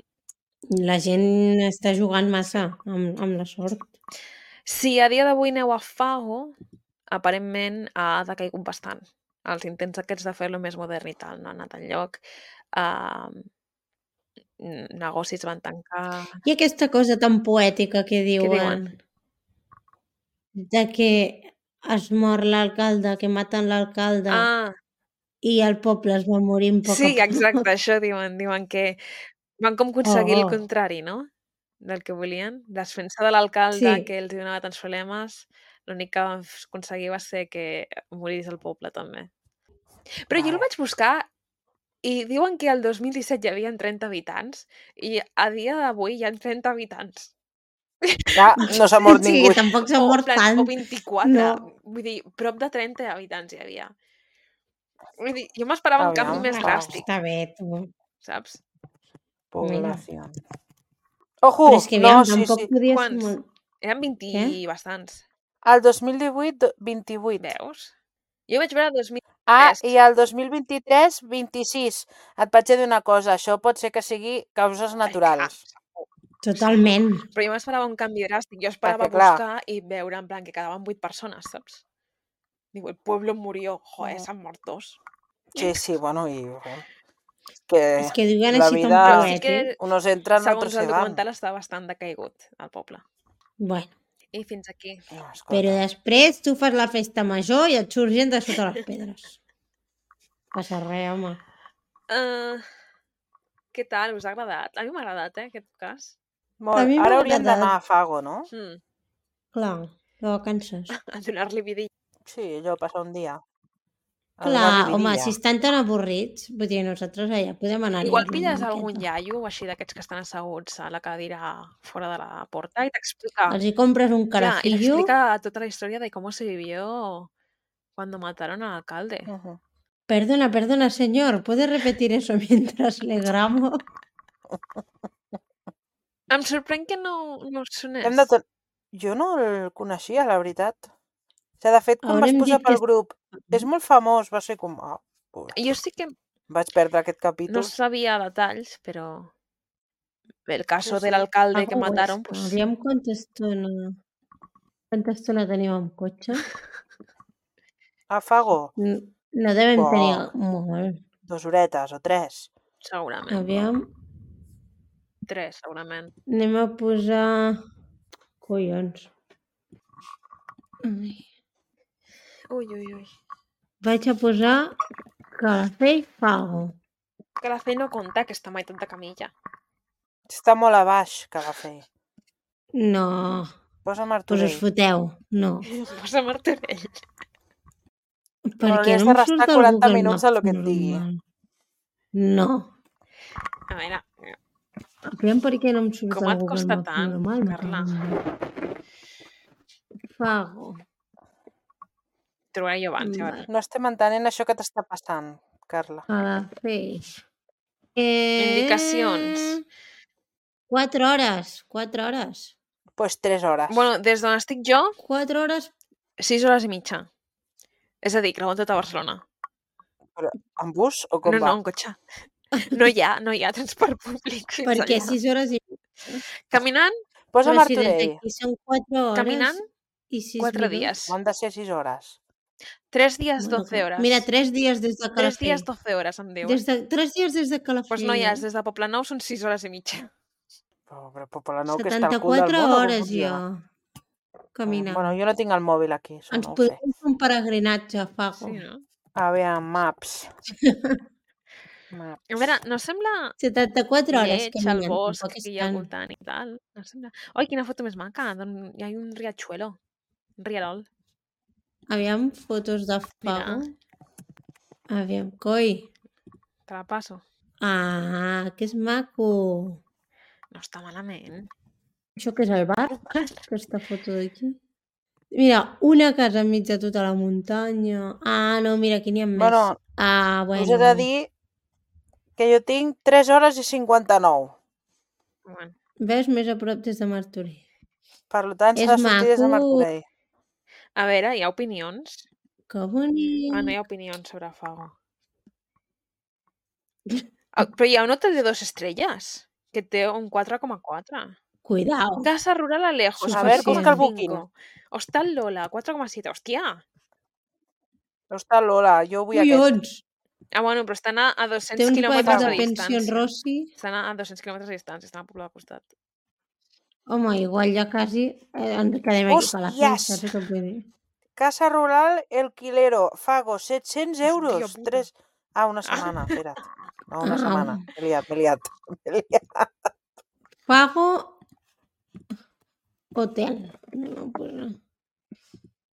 la gent està jugant massa amb, amb la sort. si a dia d'avui aneu a Fago, aparentment ha decaigut bastant. Els intents aquests de fer-lo més modern i tal no han anat enlloc. Uh, negocis van tancar... I aquesta cosa tan poètica que Què diuen, diuen? de que es mor l'alcalde, que maten l'alcalde Ah, i el poble es va morint a poc sí, a poc. exacte, això diuen. Diuen que van com aconseguir Oh, el oh. contrari, no? Del que volien. Desfent-se de l'alcalde Sí. que els donava tants problemes, l'únic que van aconseguir va ser que morís el poble també. Però jo el Vale. vaig buscar i diuen que el dos mil disset hi havia trenta habitants i a dia d'avui hi ha trenta habitants. Ja no s'ha mort Sí, ningú. que tampoc s'ha O, en mort plan, tant. o vint-i-quatre. No. Vull dir, prop de trenta habitants hi havia. Vull dir, jo m'esperava un canvi Aviam, més ah. dràstic, Està bé, tu. saps? Població. Ojo! Però és que, No, aviam, sí, tampoc sí. podia ser Quants? molt... Eren vint i Què? bastants. El dos mil divuit, vint-i-vuit. Veus? Jo vaig veure el dos mil Ah, tres. i el dos mil vint-i-tres, vint-i-sis. Et vaig dir una cosa, això pot ser que sigui causes naturals. Totalment. Però jo m'esperava un canvi dràstic. Jo esperava Perquè, clar. buscar i veure en plan que quedaven vuit persones, saps? Diu, el pueblo murió. Joder, Mm. s'han mort dos. Sí, sí, bueno, i... Que És que diuen la així tan vida, Però sí poet, que, eh? unos entran, segons otros el se van. documental, està bastant decaigut, al poble. Bueno, I fins aquí. No, però escolta. després tu fas la festa major i et surt gent de sota les pedres. Passa res, home. Uh, què tal? Us ha agradat? A mi m'ha agradat, eh, aquest cas. Molt. A mi m'ha Ara hauríem agradat. d'anar a Fago, no? Mm. Clar, de vacances. A donar-li vidilla. Sí, allò, passar un dia. A Clar, donar-li home, vidilla. si estan tan avorrits, vull dir, nosaltres allà podem anar a Igual liar-lo pilles una algun miqueta. iaio així d'aquests que estan asseguts a la cadira fora de la porta i t'explica... Els hi compres un Ya, y carajillo. t'explica tota la història de cómo se vivió cuando mataron al alcalde. Uh-huh. Perdona, perdona, señor, ¿puede repetir eso mientras le grabo? Em sorprèn que no, no us sonés. Hem de tot... Jo no el coneixia, la veritat. O sigui, de fet, quan vas Haurem posar dit que... pel grup, és molt famós, va ser com... Ah, pues, Jo sí que vaig perdre aquest no capítol. sabia detalls, però el caso Sí, sí. del alcalde que Pago mataron, Huesca. pues... Aviam quanta estona... Quanta estona tenim amb cotxe? A Fago, N- No devem Bo. tenir molt. dos horetes o tres. segurament. Aviam, Tres, segurament. anem a posar... Collons. Ai. Ui, ui, ui. Vaig a posar Calafell Fago. Que la fe no compta, que està meitat de camilla. Està molt a baix, que va fer. No, Posa pues us Martorell. foteu. No, Posa Martorell. perquè hauries no de em restar surt el quaranta Google minuts Maps a lo que et digui. normal. No. A veure, Aviam per què no em surt com el et Google costa Maps tant, normal. me Carla? cago en Déu. Fago. Trobaré jo abans, ja Vale. veuràs. No estem entenent això que t'està passant, Carla. Calafell. Eh... Indicacions. Quatre hores. Quatre hores. Doncs pues tres hores. Bueno, des d'on estic jo, Quatre hores. sis hores i mitja. És a dir, creuant tota Barcelona. Però en bus o com No, va? no, en cotxe. No hi ha, no hi ha transport públic fins Perquè allà. sis hores i... Caminant, Posa Però si des Martorell. d'aquí són quatre hores caminant, i sis quatre minuts. dies. No han de ser sis hores. Tres dies, Bueno, doce hores. Mira, tres dies des de Tres Calafell. dies, doce hores, em diuen. Des de, tres dies des de Calafell. Doncs no hi has, eh? des de Poblenou són sis hores i mitja. Però, però Poblenou, que està al cul del setanta-quatre món, o com hores funciona? jo caminant. Bueno, jo no tinc el mòbil aquí, això Ens no ho sé. podem fer un peregrinatge a Fago. Sí, no? Aviam, maps. maps. A veure, no sembla setanta-quatre hores lleig el caminant. bosc Tampoc és que hi ha al tant. voltant i tal. No sembla... Oi, quina foto més maca. D'on hi ha un riachuelo. Un rialol. Aviam, fotos de Fago. Aviam, coi. Te la passo. Ah, que és maco. No està malament. Això que és el bar? Aquesta foto d'aquí. Mira, una casa enmig de tota la muntanya. Ah, no, mira, aquí n'hi ha més. Bueno, ah, Us he bueno. de dir que jo tinc tres hores i cinquanta-nou. Bueno. Veus més a prop des de Martorell. Per tant, És s'ha de sortir des de maco. Martorell. A veure, hi ha opinions? Que bonic. Ah, no hi ha opinions sobre Fago. Ah, però hi ha un hotel de dos estrelles que té un quatre coma quatre. Cuidao. Casa Rural Alejos. A ver, busca el booking. booking. Hostal Lola, quatre coma siete. Hòstia! Està Lola, jo vull aquest. Collons. Ah, bueno, però estan a, a Té dos-cents uns quilòmetres papers de de pensió distància. Rossi. Estan a dos-cents quilòmetres de distància, estan al poble del costat. Home, igual ja quasi eh, ens quedem aquí a la Hòsties! festa, saps què vull dir? Casa Rural El Quilero, Fago, set-cents Hòstia euros. puta. Tres... Ah, una setmana, espera't. No, una Ah. setmana. M'he liat, m'he liat. M'he liat. Pago hotel. No, pues no.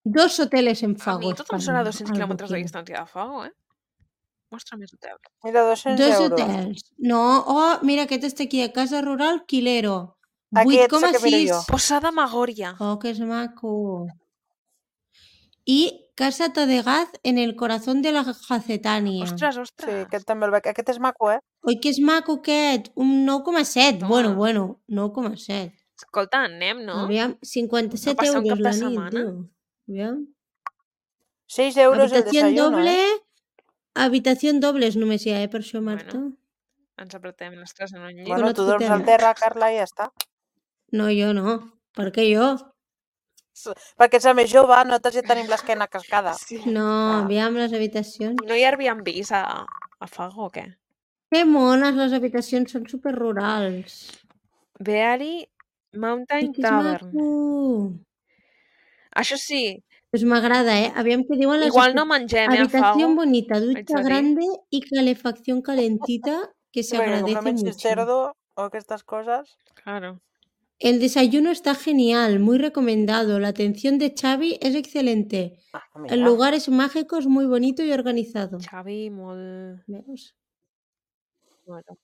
Dos hoteles en A Fago. mi tot em estan sona a dos-cents al quilòmetres de booking. distància de Fago, eh? Mostra més hotel. Mira, dos-cents Dos euros. hotels. No, oh, mira, aquest està aquí, a Casa Rural Quilero. Aquest vuit és coma el que miro sis. jo. Posada Magòria. Oh, que és maco. I Casa Tadegaz en el corazón de la Jacetania. Ostres, Sí, ostres. aquest també el veig. Aquest és maco, eh? Oi, que és maco aquest. Un nou coma set. Toma. Bueno, bueno, nou coma set. Escolta, anem, no? Aviam, cinquanta-set A passar un euros cap de la nit, setmana? tio. Aviam. seis euros el Habitació desayuno, doble. eh? Habitació dobles només hi ha, eh, per això, Marta. Bueno. Ens apretem les tres en un llit. Bueno, Bueno, et tu dorms fotem, al eh? terra, Carla, i ja està. No, jo no. Per què jo? Perquè ets la més jove, nosaltres ja tenim l'esquena cascada. Sí. No, Ah. aviam les habitacions. No hi ha Airbnbs a, a Fago o què? Que mones, les habitacions són superrurals. Beari I Mountain que és Tavern. maco. Això sí, Pues m'agrada, eh? Aviam què diuen les... igual no mengem, eh, a Habitación Fago. bonita, Haig ducha de dir. grande y calefacción calentita que se Perquè com no agradece menges mucho. cerdo o aquestes coses... Claro. El desayuno está genial, muy recomendado. La atención de Xavi es excelente. Ah, El mira. lugar es mágico, es muy bonito y organizado. Xavi, molt... Veus? Bueno.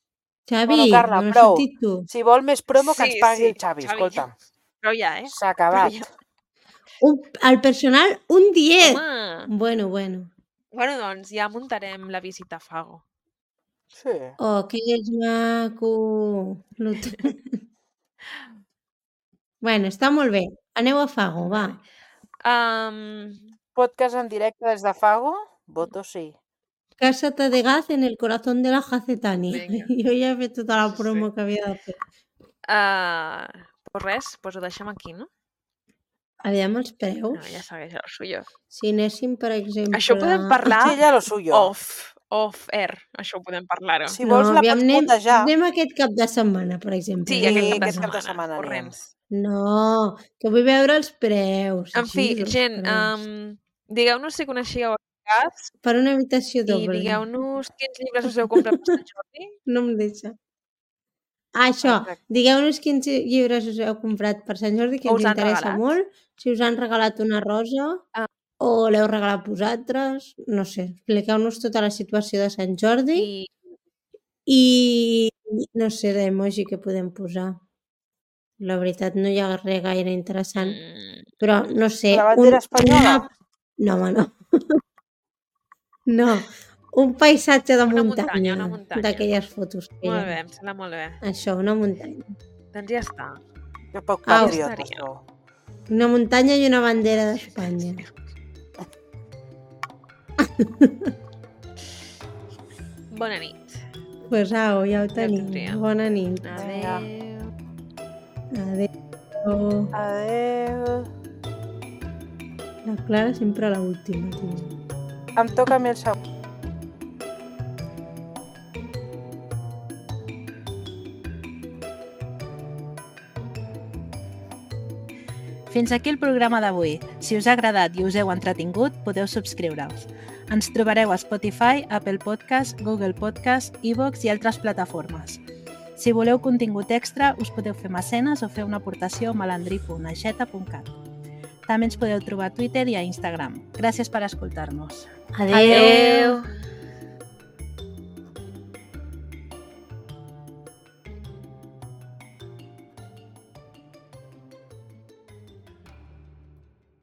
Xavi, Bueno, Carla, no l'has prou. sentit tu? Si vol més promo, que Sí, ens pagui sí, el Xavi, Xavi. escolta'm. Però ja, eh? S'ha acabat. Però ja. Un, al personal, un diez. Home! Bueno, bueno. Bueno, doncs ja muntarem la visita a Fago. Sí. Oh, que és maco. L'hotel. Bueno, està molt bé. Aneu a Fago, va. Um, Podcast en directe des de Fago? Voto sí. Cásate de gas en el corazón de la Jacetania. Vinga. Jo ja he fet tota la Sí, sí. promo que havia de fer. uh, pues res, pues ho deixem aquí, no? Aviam els No, preus. ja segueix el suyo. Si anéssim, per exemple... Això ho podem parlar Sí, ja lo suyo. off, off air. Això ho podem parlar-ho. Si vols la aviam, pots anem, putejar. anem aquest cap de setmana, per exemple. Sí, Sí, aquest cap de aquest cap de setmana. setmana Corrents. No, que vull veure els preus. En fi, Jesus gent, Christ. um, digueu-nos si coneixíeu el cas Per una habitació i doble. digueu-nos quins llibres us heu comprat per Sant Jordi. No em deixa. Ah, això, Exacte. digueu-nos quins llibres us heu comprat per Sant Jordi, que O ens us han interessa regalat. molt. Si us han regalat una rosa Ah. o l'heu regalat vosaltres, no sé. Expliqueu-nos tota la situació de Sant Jordi I i, no sé, d'emoji que podem posar. La veritat, no hi ha res gaire interessant. mm, Però, no sé... La bandera espanyola? Una... No, home, no. No, un paisatge de Una muntanya, muntanya, una muntanya. d'aquelles fotos que hi molt ha. bé, em sembla molt bé. Això, una muntanya. Doncs ja està. Que poc Au. patriota, Estaria. sou. Una muntanya i una bandera d'Espanya. Bona nit. Pues au, ja ho Ja tenim. tindria. Bona nit. Adéu. Adéu. Adéu. La Clara sempre a l'última, tio. Em toca a mi el segon. Fins aquí el programa d'avui. Si us ha agradat i us heu entretingut, podeu subscriure-us. Ens trobareu a Spotify, Apple Podcast, Google Podcast, iVoox i altres plataformes. Si voleu contingut extra, us podeu fer mecenes o fer una aportació a malandrí punt aixeta punt cat. També ens podeu trobar a Twitter i a Instagram. Gràcies per escoltar-nos. Adéu. Adéu.